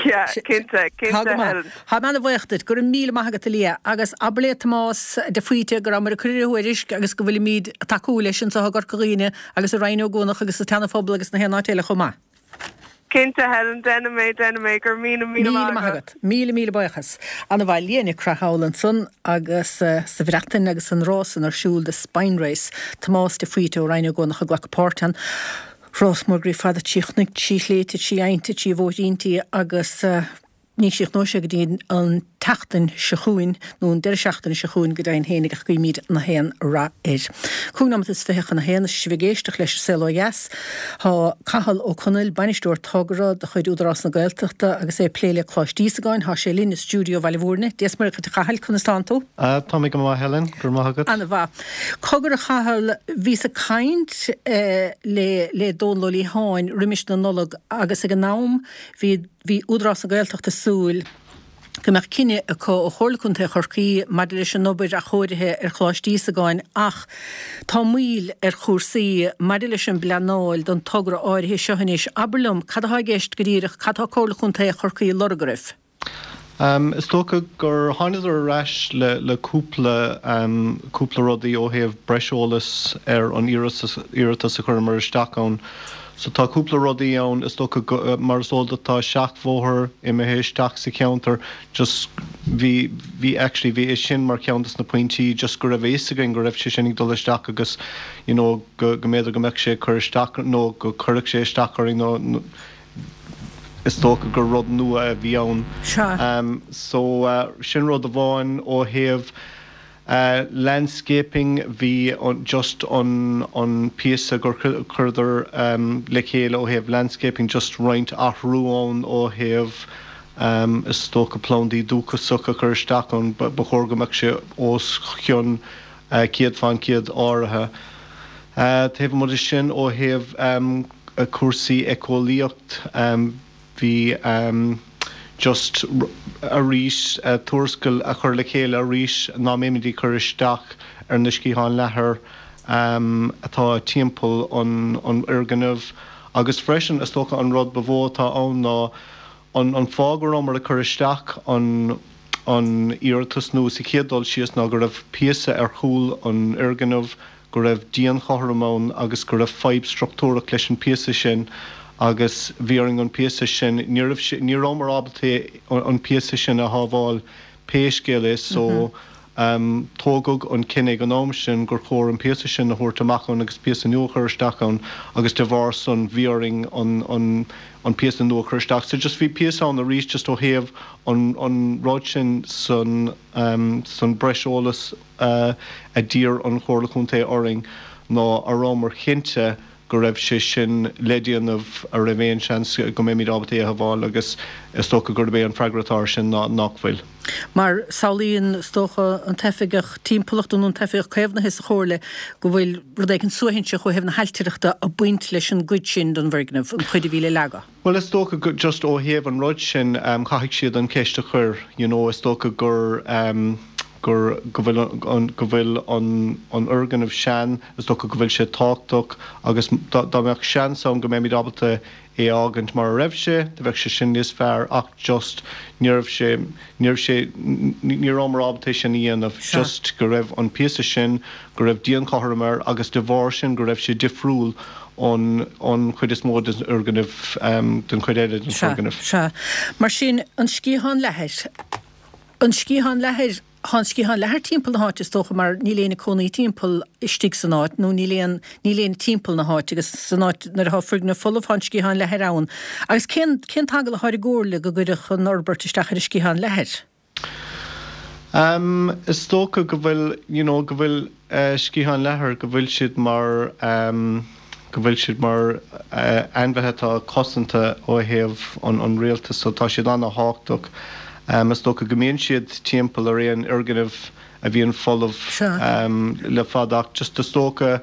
Yeah, cinnte, Tá cinnte go maith. Helen. Tá mé ana-bhuíoch duit. Go raibh míle maith agat a Leah. Agus abair le Tomás de Faoite go rabhamar ag cur ar a thuairisc agus go bhfuilimíd ag tacú leis anseo i gCorca Dhuibhne agus i Rinn Ó gCuanach agus sa tSeana Phobal agus na haon áit eile chomh maith. Cinnte, Helen, déanfaidh mé, déanfaidh mé. Go raibh míle, míle Míle maith maith agat. agat. Míle, míle buíochas. Ana-mhaith. Leah Nic Craith thall ansan agus sa Bhreatain agus an rás san ar siúl, The Spine Race. Tomás de Faoite ó Rinn Ó gCuanach ag glacadh páirt ann. Rás mór groí fada trí chnoic, trí shléibhte, trí aibhnte, trí bhóithríntí agus. Ní chríochnóidh sé go dtí an tseachtain seo chugainn, nó an deireadh seachtaine seo chugainn go deimhin fhéinig, ach guímid na haon rath air. Cúig nóimeat is 20 chun a haon, is sibh ag éisteacht leis An Saol Ó Dheas. Tá Cathal Ó Conaill, Bainisteoir Togra de chuid Údarás na Gaeltachta agus é ag plé le Coláiste Íosagáin, tá sé linn i stiúideo Bhaile Mhúirne. Dia is Muire dhuit a Chathail, conas tánn tú? Tá mé go maith Helen, go raibh maith agat. Ana-mhaith. Cogar a Chathail, bhíos ag caint le le Dónal Ó Liatháin roimis na Nollag agus ag an am bhí Bhí Údarás na Gaeltachta ag súil go mbeadh cinneadh acu ó Chomhairle Contae Chorcaí maidir leis an obair athchóirithe ar Choláiste Íosagáin ach tá moill ar chúrsaí maidir leis an bpleanáil don togra áirithe seo anois. Abair liom, cad atá i gceist go díreach, cad tá Comhairle Contae Chorcaí ag lorg oraibh? Is dócha gur thánadar ar ais le le cúpla cúpla rudaí ó thaobh breis eolas ar an iarratas a chuireamar isteach ann. So tá cúpla rudaí ann, is dócha go, mar is eol duit tá seachbhóthar imithe isteach sa cheantar, just bhí, bhí actually bhí é sin mar cheann des na pointí just go raibh a fhios againn go raibh sé sin ag dul isteach agus you know go go mb'fhéidir go mbeadh sé ag cur isteach nó go cuirfeadh sé isteach orainn nó is dócha gur rud nua a bhí ann. Sea. So sin rud amháin ó thaobh landscaping bhí just an an píosa gur chuireadar le chéile ó thaobh landscaping just roinnt athrú ann ó thaobh is dócha plandaí dúchasacha a chur isteach ann ba chóir go mbeadh sé os cionn 100% áirithe. Taobh amuigh de sin ó thaobh cúrsaí éiceolaíocht bhí just arís tuarascáil a chur le chéile arís ná mbeimid ag cur isteach ar na sciatháin leathair atá timpeall an fhoirgnimh agus freisin is dócha an rud ba mhó atá ann ná an fáth go rabhamar ag cur isteach an an iarratas nua sa chéad dul síos ná go raibh píosa ar chúl an fhoirgnimh go raibh díon chothrom ann agus go raibh fadhb struchtúrach leis an píosa sin agus bhí orainn an píosa sin, ní raibh sé, ní rabhamar ábalta an píosa sin a shábháil pé scéal é so tógadh an cinneadh ag an am sin gur chóir an píosa sin a thabhairt amach ann agus píosa nua a chur isteach ann agus de bharr san bhí orainn an an an píosa nua a chur isteach. So just bhí píosa ann arís just ó thaobh an an rud sin san san breis eolas a d'iarr an Chomhairle Chontae orainn ná a rabhamar cinnte go raibh sé sin le déanamh, a raibh aon seans go mbeimid ábalta é a shábháil agus is dócha gurb é an freagra atá air sin ná nach bhfuil. Mar samhlaíonn, is dócha, an tOifigeach Timpeallachta nó an tOifigeach Caomhnaithe sa Chomhairle go bhfuil rud éigin suaithinseach ó thaobh na hailtireachta ag baint leis an gcuid sin den bhfoirgneamh, an chuid a bhí le leagadh. Bhuel is dócha go, just ó thaobh an rud sin, caithfidh siad an cheist a chur, you know, is dócha gur, gur, go bhfuil an, go bhfuil an, an fhoirgneamh sean, is dócha go bhfuil sé tábhachtach agus dá, dá mbeadh seans ann go mbeimid ábalta é a fhágaint mar a raibh sé, do bheadh sé sin níos fearr ach just ní raibh sé, ní raibh sé, ní rabhamar ábalta é sin a dhéanamh, just go raibh an píosa sin, go raibh díon cothrom air agus de bharr sin go raibh sé difriúil ón ón chuid is mó den fhoirgneamh, den chuid eile den foirgneamh. Sea, sea. Mar sin, an sciathán leathair, an sciathán leathair, tá an sciathán leathair timpeall na háite is dócha mar níl éinne ag cónaí timpeall istigh san áit nó níl aon, níl éinne timpeall na háite agus san áit nuair atá foirgneamh folamh tá an sciathán leathair ann. Agus cén, cén t-eagal atá ar an gComhairle go gcuirfeadh an fhorbairt isteach ar an sciathán leathair? Em, is dócha go bhfuil, you know, go bhfuil eh sciatháin leathair, go bhfuil siad mar em, go bhfuil siad mar eh ainmhithe atá cosanta ó thaobh an, an rialtas so tá siad ana-thábhachtach. Em, is dócha go mbíonn siad timpeall ar aon fhoirgneamh a bhíonn folamh em le fada ach just is dócha,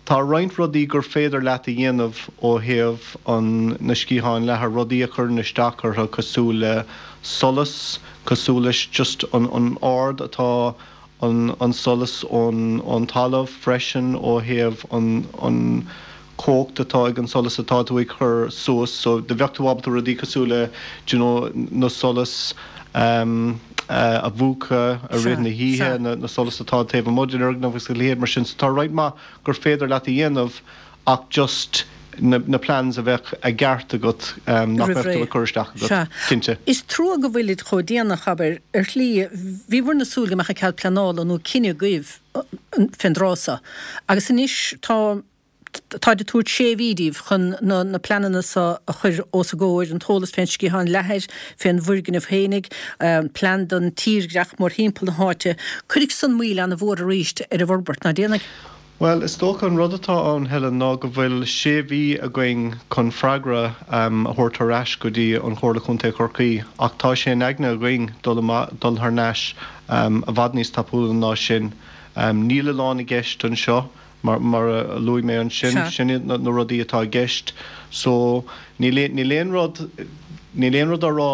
Tá roinnt rudaí gur féidir leat a dhéanamh ó thaobh an na sciatháin leathair, rudaí a chuireann isteach orthu cosúil le solas, cosúil leis just an an ard atá an an solas ón ón talamh freisin ó thaobh an an cumhacht atá ag an solas atá tú ag cur suas so do bheadh tú ábalta rudaí cosúil le do you know na solas ehm a mhúchadh i rith na hoíche, na solas atá taobh amuigh den fhoirgneamh agus a leithéid mar sin. So tá roinnt mhaith gur féidir leat a dhéanamh ach just na plans a bheadh i gceart agat nach mbeadh tú ag cur isteach agat, cinnte. Is trua go bhfuilid chomh déanach, abair, ar shlí. Bhíobhair ag súil go mbeadh an cead pleanála nó cinneadh agaibh fén dtráth so agus anois tá Táid ag tabhairt sé mhí díbh chun na pleananna so a chur os a gcomhair, an t-eolas fén sciathán leathair, fén bhfoirgneamh fhéinig, plean don tírdhreach mórthimpeall na háite. Cuirfidh san moill ana-mhór arís ar an bhforbairt, ná déanfaidh? Bhuel, is dócha an rud atá ann, Helen, ná go bhfuil sé mhí againn chun freagra a thabhairt ar ais go dtí an Chomhairle Contae Chorcaí ach tá sé in aigne againn dul dul thar n-ais i bhfad níos tapúla ná sin. Níl a lán i gceist anseo. Mar a luaigh mé ansin, sin iad na rudaí atá i gceist. So, níl aon rud, níl aon rud á rá.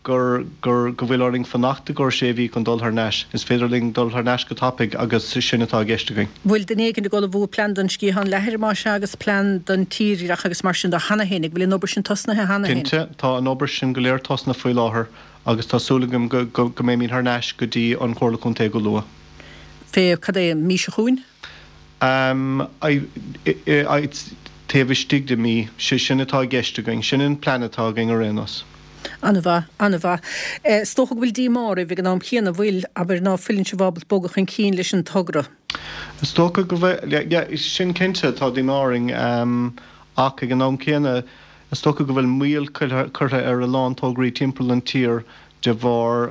Gur, gur, go bhfuil orainn fanacht i gcomhair sé mhí chun dul thar n-ais. Is féidir linn dul thar n-ais go tapaidh agus sin atá i gceist againn. Bhfuil duine éigin ag ullmhú plean don sciathán leathair, más ea, agus plean don tírdhreach agus mar sin de cheana féin? An bhfuil an obair sin tosnaithe cheana féin? Cinnte, tá an obair sin go léir tosnaithe faoi láthair agus tá súil agam go, go, go mbeimid thar n-ais go dtí an Chomhairle Contae go luath. Fé, cad é, an mhí seo chugainn? I, I, taobh istigh de mhí. Sé sin atá i gceist againn. Sin an plean atá againn ar aon nós. An-mhaith, an-mhaith. Is dócha go bhfuil díomá oraibh ag an am chéanna, an bhfuil, abair, ná fuileann sibh ábalta bogadh chun cinn leis an togra? Is dócha go bhfuil, yeah, sin cinnte, tá díomá orainn. Ach ag an am céanna, is dócha go bhfuil moill curtha ar a lán tograí timpeall an tír de bharr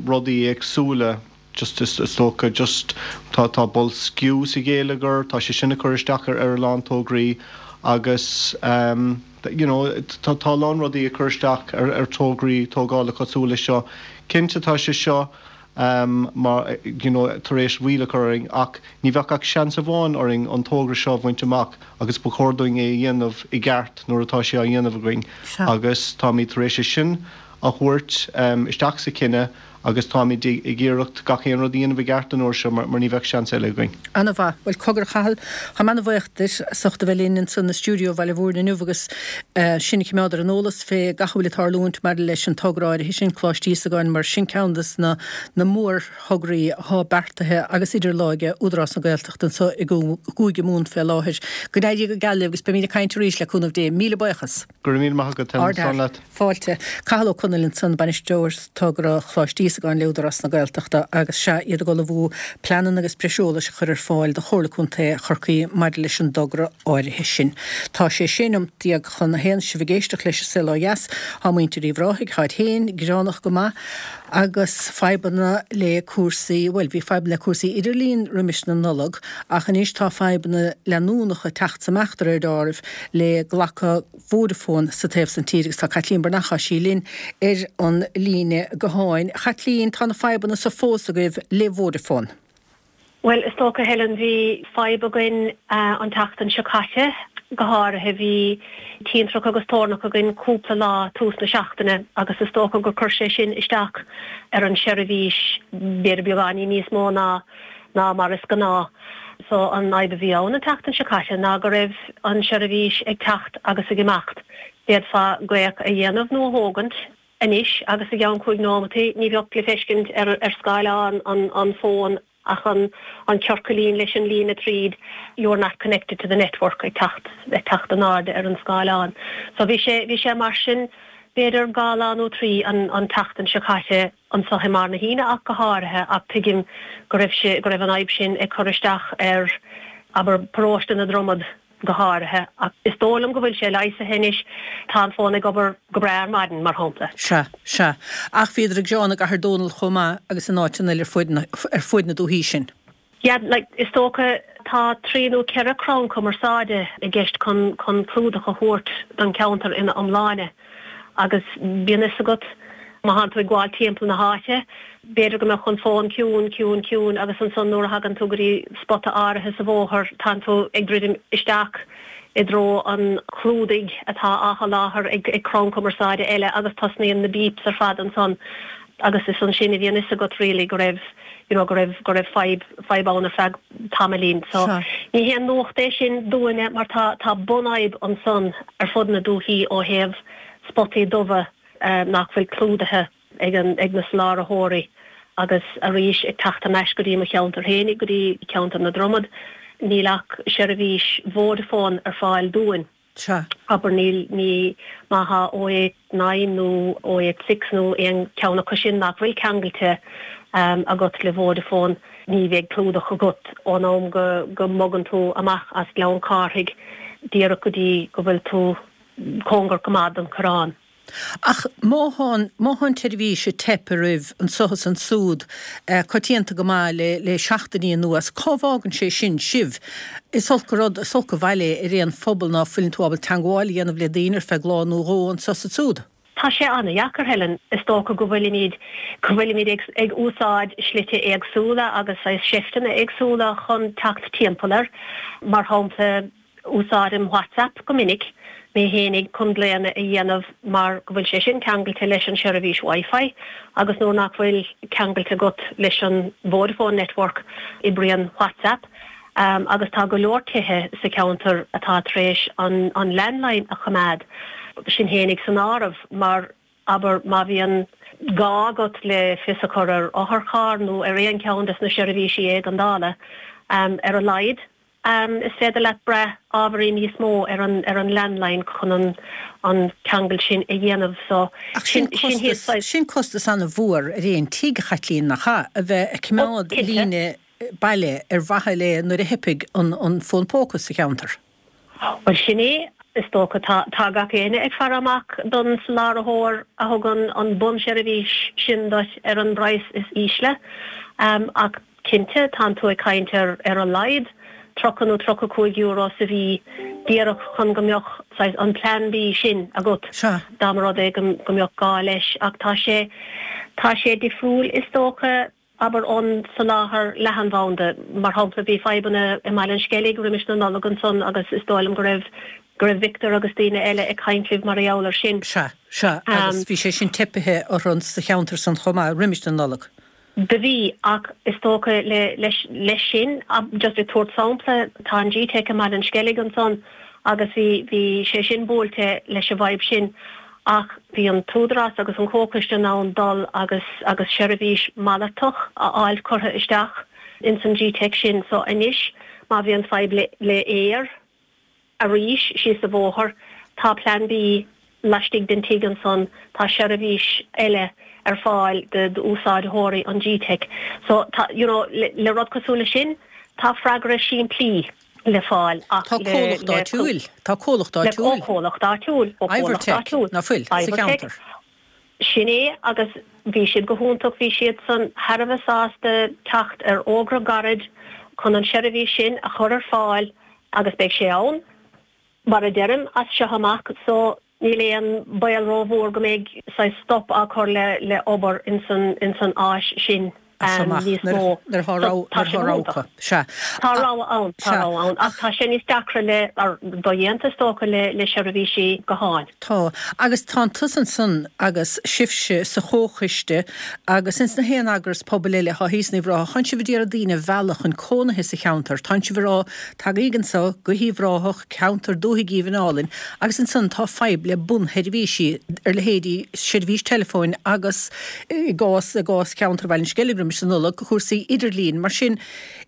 rudaí éagsúla. just is dócha just tá tá boilsciú sa ghéilleagar, tá sé sin ag cur isteach ar ar a lán tograí agus ehm you know tá tá a lán rudaí ag cur isteach ar ar tograí tógála cosúil leis seo. Cinnte tá sé seo ehm mar you know tar éis mhoill a chur orainn ach ní bheadh ach seans amháin orainn an togra seo a bhaint amach agus ba chóir dúinn é a dhéanamh i gceart nuair atá sé á dhéanamh againn agus táimid tar éis é sin a thabhairt ehm isteach sa chinneadh Agus táimid ag iarracht gach aon rud a dhéanamh i gceart an uair seo mar ní bheadh seans eile againn. Ana-mhaith. Bhuel, cogar a Chathail, táim ana-bhaoch duit as ucht a bheith linn ansan i stiúideo Bhaile Mhúirne inniu agus sinn a chimeád ar an eolas fé gach a bhfuil ag tarlúint maidir leis an togra áirithe sin, Coláiste Íosagáin, mar sin ceann des na na mórthograí athá beartaithe agus idir láimhe Údarás na Gaeltachta anso i gCúige Mumhan fé láthair. Go n-éirí go geal libh agus beimíd ag caint arís le cúnamh Dé. Míle buíochas. Go raibh míle maith agat, Helen. Slán leat. Fáilte. Cathal Ó Conaill ansan, Bainisteoir Togra Choláiste Íosagáin le Údarás na Gaeltachta agus sea, iad ag ullmhú pleananna agus breis eolais a chur ar fáil do Chomhairle Contae Chorcaí maidir leis an dtogra áirithe sin. Tá sé 16 neomat chun a haon, sibh ag éisteacht leis an Saol Ó Dheas. Tá muintir Uíbh Ráthaigh, táid féin gearánach go maith agus fadhbanna le cúrsaí, bhuel, bhí fadhbanna le cúrsaí idirlín roimis na Nollag ach anois tá fadhbanna leanúnacha ag teacht amach de réir deáraimh le glacadh Vodafone sa taobh san tír agus tá Caitlín Breathnach, tá sí linn ar an líne gutháin. A Chaitlín, tá na fadhbanna so fós agaibh le Vodafone. Bhuel, is dócha, Helen, bhí fadhb againn an tseachtain seo caite, go háirithe. Bhí tintreach agus toirneach againn cúpla lá tús na seachtaine agus is dócha gur chuir sé sin isteach ar an seirbhís, b'fhéidir beagáinín níos mó ná ná mar is gnáth. So an fhadhb a bhí ann an tseachtain seo caite ná go raibh an seirbhís ag teacht agus ag imeacht. D'fhéadfá glaoch a dhéanamh nó a thógaint anois agus i gceann chúig nóimeataí ní bheadh le feiscint ar ar scáileán an an fón ach an an ciorcailín leis an líne tríd you are not connected to the network ag teacht ag teacht in airde ar an scáileán. So bhí sé bhí sé mar sin b'fhéidir dhá lá nó trí an an tseachtain seo caite. anseo i mBarr na hAoine ach go háirithe, ach tuigim go raibh sé, go raibh an fhadhb sin ag cur isteach ar, abair, paróiste na Dromad go háirithe. Ach is dóigh liom go bhfuil sé leigheasaithe anois, tá an fón ag obair go breá ar maidin, mar shampla. Sea, sea. Ach bhíodar ag gearán i gCathair Dónall chomh maith agus in áiteanna eile ar fuaid na, ar fuaid na dúthaí sin. Yeah, like, is dócha tá trí nó ceithre crann cumarsáide i gceist chun chun clúdach a thabhairt don cheantar ina iomláine agus bíonn fhios agat má thánn tú ag gabháil timpeall na háite, b'fhéidir go mbeadh an fón ciúin, ciúin, ciúin agus ansan nuair a thagann tú go dtí spota áirithe sa bhóthar tánn tú ag druidim isteach i dtreo an chlúdaigh atá á sholáthar ag crann cumarsáide eile agus tosnaíonn na beeps ar fad ansan agus is ansin a bhíonn fhios agat really go raibh you know go raibh go raibh fadhb fadhb ann ar feadh tamaillín. So Sea. ní haon nuacht é sin dúinne mar tá tá bunfhadhb ansan ar fud na dúthaí ó thaobh spotaí dubha nach bhfuil clúdaithe ag an ag na soláthratheoirí agus arís ag teacht thar n-ais go dtí mo cheantar féinig go dtí ceantar na Dromad níl ach seirbhís Vodafone ar fáil dúinn. Sea. Abair, níl, ní, má thá 089 nó 086 nó aon cheann acu sin nach bhfuil ceangailte agat le Vodafone, ní bheidh clúdach agat ón am go, go mbogann tú amach as Gleann Cárthaigh díreach go dtí go bhfuil tú cóngarach go maith don Choireán. Ach má thá, má thá an tseirbhís ag teip oraibh anso is ansúd coitianta go maith le, le seachtainí anuas, cá bhfágann sé sin sibh? Is olc an rud, is olc an bhail é ar aon phobal ná fuileann tú ábalta teangmháil a dhéanamh le daoine ar feadh lá nó dhó anso is ansúd. Tá sé an-dheacair, Helen. Is dócha go bhfuilimid, go bhfuilimid ag, ag úsáid slite éagsúla agus saghas seifteanna éagsúla chun teacht timpeall air. Mar shampla. Úsáidim WhatsApp go minic mé fhéinig chun glaonna a dhéanamh mar go bhfuil sé sin ceangailte leis an seirbhís Wi-Fi agus nuair nach bhfuil ceangailte agat leis an Vodafone network oibríonn WhatsApp agus tá go leor tithe sa cheantar atá tar éis an landline a choimeád, sinn fhéinig san áireamh, mar abair má bhíonn gá agat le fios a chur ar otharcharr nó ar aon cheann des na seirbhísí éigeandála, ar a laghad. Is féidir leat brath ábhairín níos mó ar an ar an landline chun an an ceangal sin a dhéanamh so Ach sin sin costas, saghas. sin costas an-mhór ar aon tigh, a Chaitlín, nach ea? A bheith ag Ó, coimeád cinnte. líne baile ar mhaithe le nuair a theipfidh an an fón póca sa cheantar. Bhuel sin é, is dócha. Tá tá gach éinne ag faire amach don soláthróir a thugann an bunseirbhís sin duit ar an bpraghas is ísle. Ach Cinnte, tánn tú ag caint ar ar a laghad €30 nó €35 sa mhí díreach chun go mbeadh saghas an Plan B sin agat Sea. dá mba rud é go go mbeadh gá leis. Ach tá sé tá sé difriúil is dócha, abair ón soláthar leathanbhanda. Mar shampla bhí fadhbanna i mBaile an Sceilg roimis na Nollag ansan agus is dóigh liom go raibh go raibh Victor agus daoine eile ag caint libh mar gheall air sin. Sea, sea, agus bhí sé sin teipithe orthu sa cheantar san chomh maith roimis na Nollag. Do bhí, ach is dócha le, leis, leis sin, just ag tabhairt sampla, tá an GTeic i mBaile an Sceilg ansan agus bhí, bhí sé sin buailte leis an bhfadhb sin ach bhí an t-údarás agus an comhchoiste in ann dul agus, agus seirbhís malartach a fháilt curtha isteach ins an GTeic sin. So anois má bhíonn fadhb le, le Eir, Arís, síos an bhóthar, tá Plean B laistigh den tigh ansan, tá seirbhís eile ar fáil d'úsáideoirí an GTeic. So, tá, you know, le rud cosúil le sin, tá freagra simplí le fáil ach le, Tá comhlacht le, áitiúil, tá comhlacht le, áitiúil. ó chomhlacht áitiúil, ó chomhlacht Ivertech, áitiúil. ná fuil, sa Ivertech. cheantar. Sin é agus bhí siad go hiontach, bhí siadsan thar a bheith sásta teacht ar fhógra gairid chun an seirbhís sin a chur ar fáil agus beidh sé ann, mar a deirim, as seo amach so níl aon baol rómhór go mbeidh saghas stop á chur le obair ins an áis sin. As amach níos mó. nuair atá So, tá nuair sé atá go rogha hiontach. acu. Sea. Tá rogha ann, tá Sea. rogha ann, ach tá sé níos deacra le, or dodhéanta is dócha, le, le seirbhísí gutháin. Tá. Agus tánn tusa ansan agus sibhse sa chomhchoiste agus ins na haon eagras pobail eile atá thíos in Uíbh Ráthach, tánn sibh a d'iarraidh daoine a mhealladh chun cónaithe sa cheantar. Tánn sibh a rá, tagaíg anso go hUíbh Ráthach, ceantar dúthaigh aoibhinn álainn, agus ansan tá fadhb le bunsheirbhísí ar leithéidí seirbhís teileafóin agus, i gcás, i gcás cheantar Bhaile an Sceilg roimis an Nollaig, cúrsaí idirlín. Mar sin,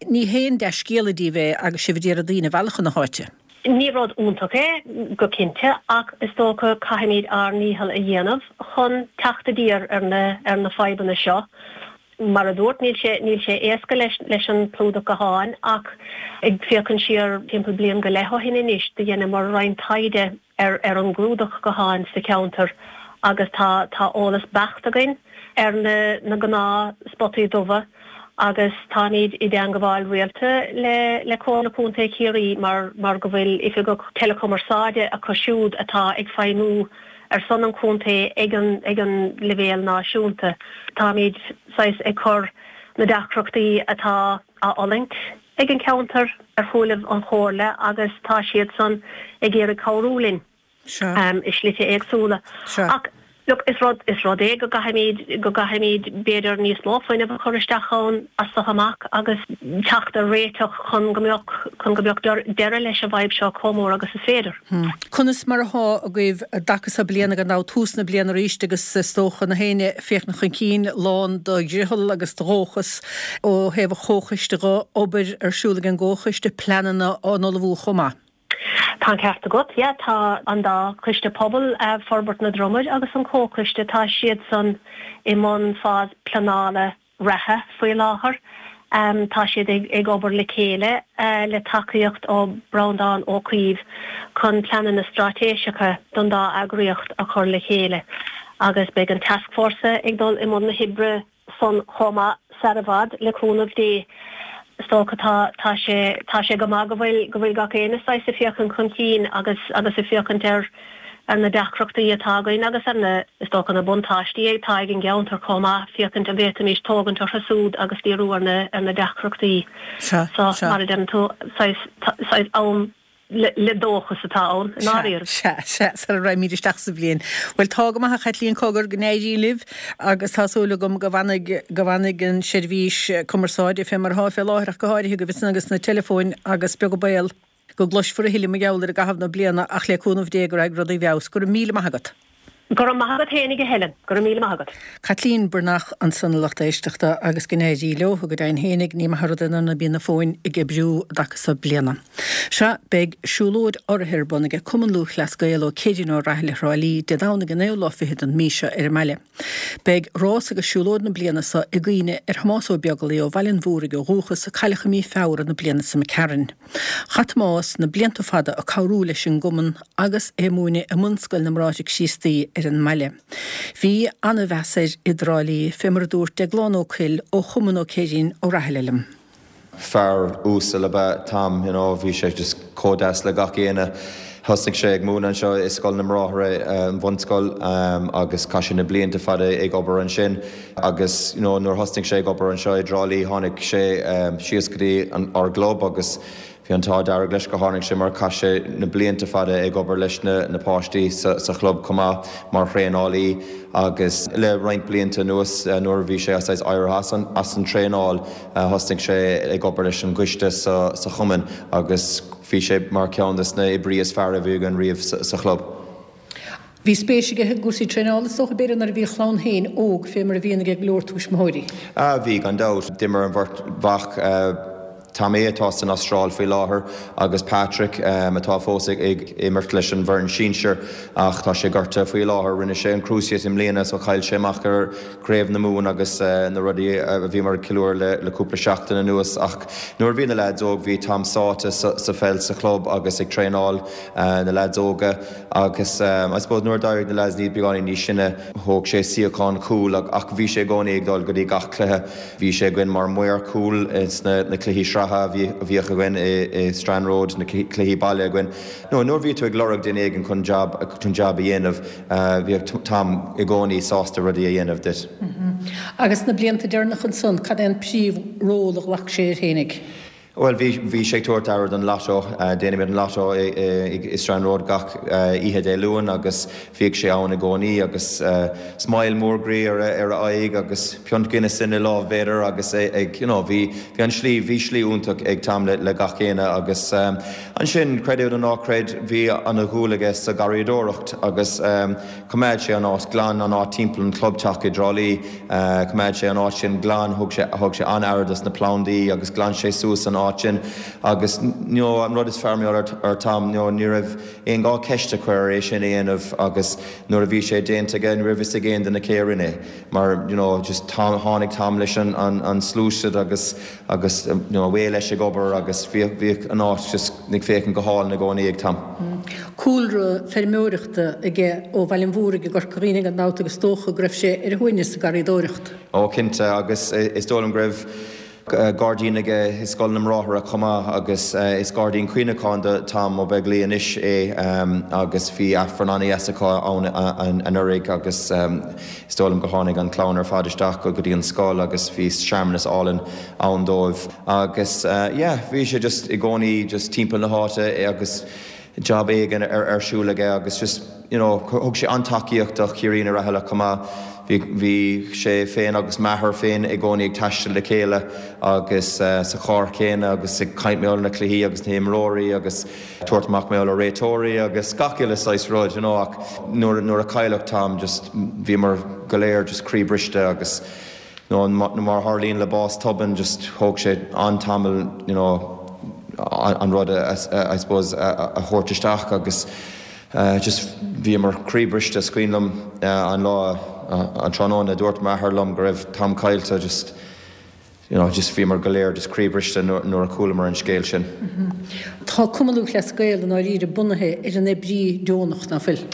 ní haon dea-scéala díbh é agus sibh a d'iarraidh daoine a mhealladh chun na háite. Ní rud iontach é, go cinnte, ach is dócha caithfimid ár ndícheall a dhéanamh chun teacht i dtír ar na, ar na fadhbanna seo. Mar a dúirt, níl sé, níl sé éasca leis, leis an clúdach gutháin ach ag féachaint siar timpeall bliain go leith ó shin anois, do dheineamar roinnt taighde ar ar an gclúdach gutháin sa cheantar agus tá tá eolas beacht againn ar na na gnáth spotaí dubha agus táimid i dteangabháil rialta le le Comhairle Contae Chiarraí mar mar go bhfuil oifigeach teileachumarsáide acu siúd atá ag feidhmiú ar son an chontae ag an ag an leibhéal náisiúnta. Táimid saghas ag cur na deacrachtaí atá á fhulaingt ag an cheantar ar shúilibh an Chomhairle agus tá siadsan ag iarraidh cabhrú linn i slite éagsúla. Ach look, is rud, is rud é go gcaithfimid, go gcaithfimid b'fhéidir níos mó fuinnimh a chur isteach ann as seo amach agus teacht ar réiteach chun go mbeadh, chun go mbeadh deireadh leis an bhfadhb seo chomh mór agus is féidir. Conas mar athá agaibh i dtaca so bliana gan dabht, tús na bliana arís agus is dócha na héinne ag féachaint chun cinn lán de dhriothal agus de dhóchas ó thaobh an chomhchoiste dho, obair ar siúl ag an gcomhchoiste, pleananna á n-ullmhú chomh maith. Tá an ceart agat, yeah, tá an dá choiste pobail, Forbairt na Dromaid agus an Comhchoiste, tá siadsan i mbun fás pleanála reatha faoi láthair. Tá siad ag obair le chéile le tacaíocht ó Breandán Ó Caoimh chun pleananna straitéiseacha don dá eagraíocht a chur le chéile agus beidh an tascfhórsa ag dul i mbun na hoibre san chomh maith sar i bhfad, le cúnamh Dé. Is dócha tá tá sé tá sé go maith go bhfuil go bhfuil gach éinne saghas ag féachaint chun cinn agus agus ag féachaint ar ar na deacrachtaí atá againn agus ar na is dócha na buntáistí atá ag an gceantar chomh maith, féachaint an bhféadfaimis tógaint orthu súd agus díriú ar na ar na deacrachtaí. Sea, So sea. mar a deireann tú saghas saghas am. Le dóchas atá ann, i ndáiríre. Sea, sea, sara raghaimid isteach sa bhliain. Bhuel, tá go maith a Chaitlín, cogar, go n-éirí libh agus tá súil agam go bhfanfaidh, go bhfanfaidh an seirbhís cumarsáide fé mar atá fé láthair ach go háirithe agaibh ansan agus na teileafóin agus beag an baol go gcloisfear a thuilleadh mar gheall air i gcaitheamh na bliana ach le cúnamh Dé go raghaidh rudaí i bhfeabhas. Go raibh míle maith agat. Go raibh maith agat fhéinig a Helen. Go raibh míle maith agat. Caitlín Breathnach ansan a lucht éisteachta agus go n-éirí leo, go deimhin fhéinig ní maith an rud é nuair ná bíonn na fóin ag oibriú i dtaca so bliana. Sea, beidh siúlóid urraithe ar bun aige Cumann Lúthchleas Gael ó Céirín Ó Raghallaigh Thrá Lí, Dé Domhnaigh an naoú lá fichead den mí seo ar an mbaile. Beidh rás agus siúlóid na bliana so i gcuimhne ar Thomás Ó Beaglaoi ó Bhaile an Mhúraigh ó dhúchas a cailleadh i mí Feabhra na bliana so imigh tharainn. Chaith Tomás na blianta fada ag cabhrú leis an gcumann agus é ag múineadh i mBunscoil na mBráithre Críostaí ar an mbaile. Bhí ana-mheas air i dTrá Lí, fé mar a dúirt Deaglán Ó Cuill ó Chumann Ó Céirín Ó Rathaille liom. Fear uasal ab ea Tom, you know, bhí sé just chomh deas le gach éinne. Thosnaigh sé ag múineadh anseo i Scoil na mBráithre, an bhunscoil, agus chaith sé na blianta fada ag obair ansin. Agus you know nuair thosnaigh sé ag obair anseo i dTrá Lí tháinig sé síos go dtí an, ár gclub agus bhí an t-ádh dearg leis go tháinig sé mar chaith sé na blianta fada ag obair leis na, na páistí sa, sa chlub chomh maith mar thraenálaí agus le roinnt blianta anuas nuair a bhí sé saghas éirithe as an, as an traenáil thosnaigh sé ag obair leis an gcoiste sa, sa chumann agus bhí sé mar cheann des na oibrí is fearr a bhí againn riamh sa, sa chlub. Bhí spéis aige i gcúrsaí traenála, is dócha, b'fhéidir, nuair a bhí a chlann féin óg, fé mar a bhíonn aige go leor tuismitheoirí. Ah, bhí, gan dabht. D'imir an bheirt mhac, Tommy, atá san Astráil faoi láthair, agus Patrick, atá fós ag imirt leis an bhfoireann sinsir ach tá sé gortaithe faoi láthair. Rinne sé an cruciate i mbliana so chaill sé amach ar Chraobh na Mumhan agus na rudaí a bhíomar ag ceiliúradh le cúpla seachtain anuas. Ach nuair a bhí na leaids óg, bhí Tom sáite sa pheil sa chlub agus ag traenáil na leaids óga. Agus I suppose nuair a d'éirigh na leaids níos beagáinín níos sine, thóg sé suíochán cúil ach bhí sé i gcónaí ag dul go dtí gach cluiche. Bhí sé againn mar maor cúil sna na cluichí sraithe a bhí a bhíodh againn i i Strand Road, na cluichí baile againn. No, nuair a bhí tú ag lorg duine éigin chun jab chun jab a dhéanamh, bhíodh Tom i gcónaí sásta rudaí a dhéanamh duit. Agus na blianta deireanacha ansan, cad é an príomh ról a ghlac sé air fhéinig? Bhuel, bhí, bhí sé ag tabhairt aire don lotto. Déanaimid an lotto i Strand Road gach oíche Dé Luain agus bhíodh sé ann i gcónaí agus smile mór groí ar a, ar a aghaidh agus piont Guinness ina lámh b'fhéidir agus é ag, you know, bhí, bhí an slí, bhí slí iontach ag Tom le, le gach éinne agus ansin, creid é nó ná creid, bhí ana dhúil aige sa gharraíodóireacht agus Choimeád sé an áit glan, an áit timpeall an clubteach i dTrá Lí. Choimeád sé an áit sin glan, thug sé, thug sé an-aire dos na plandaí agus ghlan sé suas an áit sin. Agus you know an rud is fearr mar gheall ar Tom, you know ní raibh aon ghá ceist a chur air é sin a dhéanamh agus nuair a bhí sé déanta aige ní raibh fhios ag aon duine cé a rinne é. Mar you know just Tom, tháinig Tom leis an, an, an sluasaid agus, agus you know away leis ag obair agus bhíodh, bhíodh an áit just ag féachaint go hálainn i gcónaí ag Tom. Cúlra feirmeoireachta aige ó Bhaile an Mhúraigh i gCorca Dhuibhne gan dabht agus is dócha go raibh sé ar a shuaimhneas sa garraíodóireacht. Ó cinnte agus is dóigh liom go raibh gairdín aige i Scoil na mBráithre chomh maith agus is gairdín cuimhneacháin do Tom Ó Beaglaoi anois é agus bhí Aifreann an-dheas acu ann anuraidh agus is dóigh liom go tháinig an chlann ar fad isteach go dtí an scoil agus bhí searmanas álainn ann dóibh agus yeah bhí sé just i gcónaí just timpeall na háite agus job éigin ar siúl aige agus just you know thug sé an-tacaíocht do Chiarraí Ó Raghallaigh chomh maith. Bhí bhí sé féin agus m'athair féin i gcónaí ag taisteal le chéile agus sa charr céanna agus ag caint mar gheall ar na cluichí agus na himreoirí agus tabhairt amach mar gheall ar réiteoirí agus gach uile saghas rud you know ach nuair nuair a cailleadh Tom just bhíomar go léir just croí briste agus nó mar a tharlaíonn le bás tobann just thóg sé an-tamall you know an rud a I suppose a thabhairt isteach agus just bhíomar croíbhriste. Is cuimhin liom an lá an tráthnóna a dúirt m'athair liom go raibh Tom caillte just you know just bhíomar go léir just croíbhriste nuair a chualamar an scéal sin. Tá Cumann Lúthchleas Gael i ndáiríre bunaithe ar an oibrí deonach, ná fuil?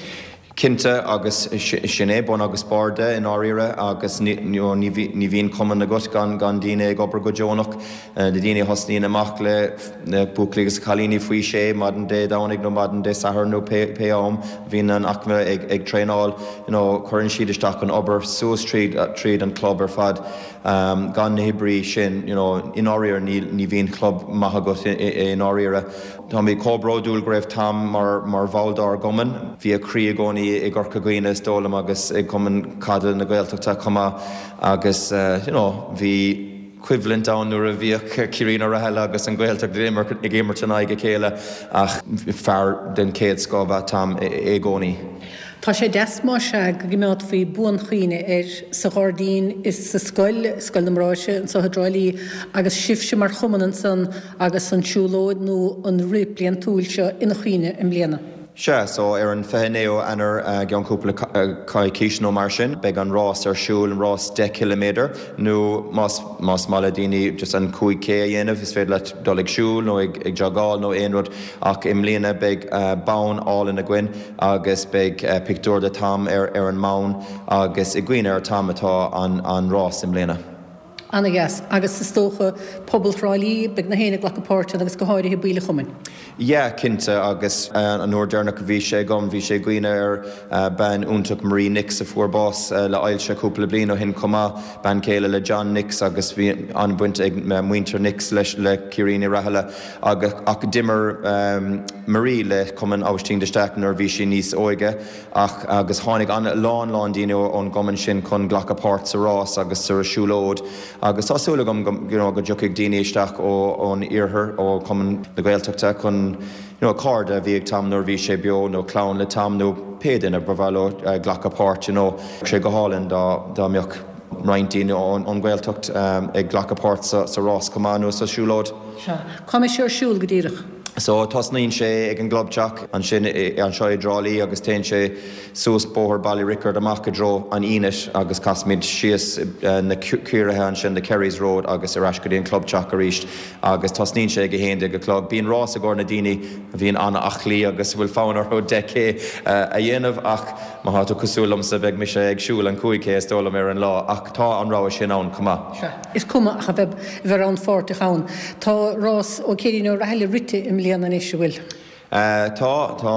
Cinnte, agus sin é bun agus barr de i ndáiríre agus ní bhíonn cumann agat gan daoine ag obair go deonach. Na daoine a thosnaíonn amach le na buachaillí agus cailíní faoi shé maidin Dé Domhnaigh nó maidin Dé Sathairn nó pé am a bhíonn an aicme ag traenáil, you know cuireann siad isteach an obair suas tríd tríd an club ar fad. Gan na hoibrí sin, you know i ndáiríre ní bhíonn club maith agat i ndáiríre. Táimid chomh bródúil go raibh Tom mar mar bhall dár gcumann. Bhí a chroí i gcónaí i gCorca Dhuibhne is dóigh liom agus i gCumann Caide na Gaeltachta chomh maith agus you know bhí coimhlint ann nuair a bhíodh Céirín Ó Rathaille agus an Ghaeltacht ag imirt in aghaidh a chéile ach fear den chéad scoth ab ea Tom i gcónaí. Tá sé deas más ea go gcimeádfaí buanchuimhne air sa ghairdín is sa scoil, Scoil na mBráithre anseo i dTrá Lí, agus sibhse mar chumann ansan agus an siúlóid nó an rith bliantúil seo ina chuimhne i mbliana. Sea, so ar an 29ú Eanáir, i gceann cúpla coicís nó mar sin, beidh an rás ar siúl, an rás 10 ciliméadar, nó más más maith le daoine just an 5K a dhéanamh, is féidir leat dul ag siúl nó ag jogáil nó aon rud, ach i mbliana beidh bonn álainn againn agus beidh pictiúr de Tom ar ar an mbonn agus i gcuimhne ar Tom atá an an rás i mbliana. Ana-dheas. Agus is dócha pobal Thrá Lí, beidh na héinne ag glacadh páirt ann agus go háirithe baill an chumainn. Yeah, cinnte, agus an uair deireanach a bhí sé agam, bhí sé i gcuimhne ar bean iontach Marie Nix a fuair bás le ailse cúpla bliain ó shin chomh maith, bean chéile le John Nix agus bhí an-bhaint ag muintir Nix leis le Ciairín Uí Rathaille agus ach d'imir Marie le Cumann Aibhistín de Staic nuair a bhí sí níos óige. Ach agus tháinig a lán lán daoine ón gcumann sin chun glacadh páirt sa rás agus sa siúlóid agus tá súil agam go you know go dtiocfaidh daoine isteach ó ón iarthar ó Chumann na Gaeltachta chun you know cairde a bhí ag Tom nuair a bhí sé beo nó clann le Tom nó pé duine ba mhaith leo glacadh páirt you know. Bheadh sé go hálainn dá dá mbeadh roinnt daoine ón nGaeltacht ag glacadh páirt sa sa rás chomh maith nó sa siúlóid. Sea. Cá mbeidh sé ar siúl go díreach? So, tosnaíonn sé ag an gclubteach ansin anseo i dTrá Lí agus téann sé suas Bóthar Baile Riocaird amach i dtreo an Fhínit agus casaimid síos na Ciarraithe ansin, the Kerrys Road agus ar ais go dtí an clubteach arís agus tosnaíonn sé ag 11 a chlog. Bíonn rás i gcomhair na daoine a bhíonn an-aclaí agus a bhfuil fonn orthu 10K a dhéanamh ach má thá tú cosúil liomsa beidh mise ag siúl an 5K is dóigh liom ar an lá ach tá an rogha sin ann chomh maith. Sea. Is cuma ach a bheith rannpháirteach ann. Tá rás ó Céirín Ó Rathaille rite i mbliana anois, an bhfuil? Tá, tá.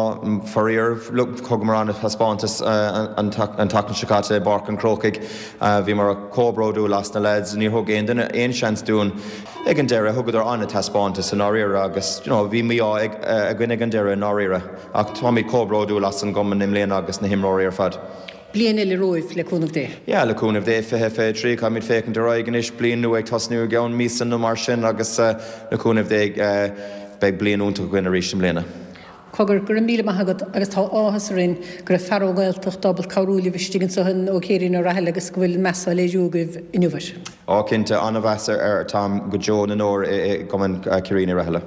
Faraor, thugamar an-taispeántas an tseachtain seo caite i bPáirc an Chrócaigh. Bhíomar chomh bródúil as na lads. Níor thug aon duine aon seans dúinn ag an deireadh. Thugadar an-taispeántas i ndáiríre agus you know bhí mí-ádh againn ag an deireadh i ndáiríre. Ach táimid chomh bródúil as an gcumann i mbliana agus na himreoirí ar fad. Bliain eile romhaibh, le cúnamh Dé. Yeah, le cúnamh Dé, 2023, caithfimid féachaint ar aghaidh anois, bliain nua ag tosnú i gceann míosa nó mar sin agus le cúnamh Dé beidh bliain iontach againn arís i mbliana. Cogar, go raibh míle maith agat agus tá áthas orainn go raibh fear ón nGaeltacht ábalta cabhrú libh istigh anseo in Ó Céirín Ó Rathaille agus go bhfuil meas á léiriú agaibh inniu air. Á cinnte, an-mheas ar Tom go deo na ndeor i gCumann Ciairín Uí Rathaille.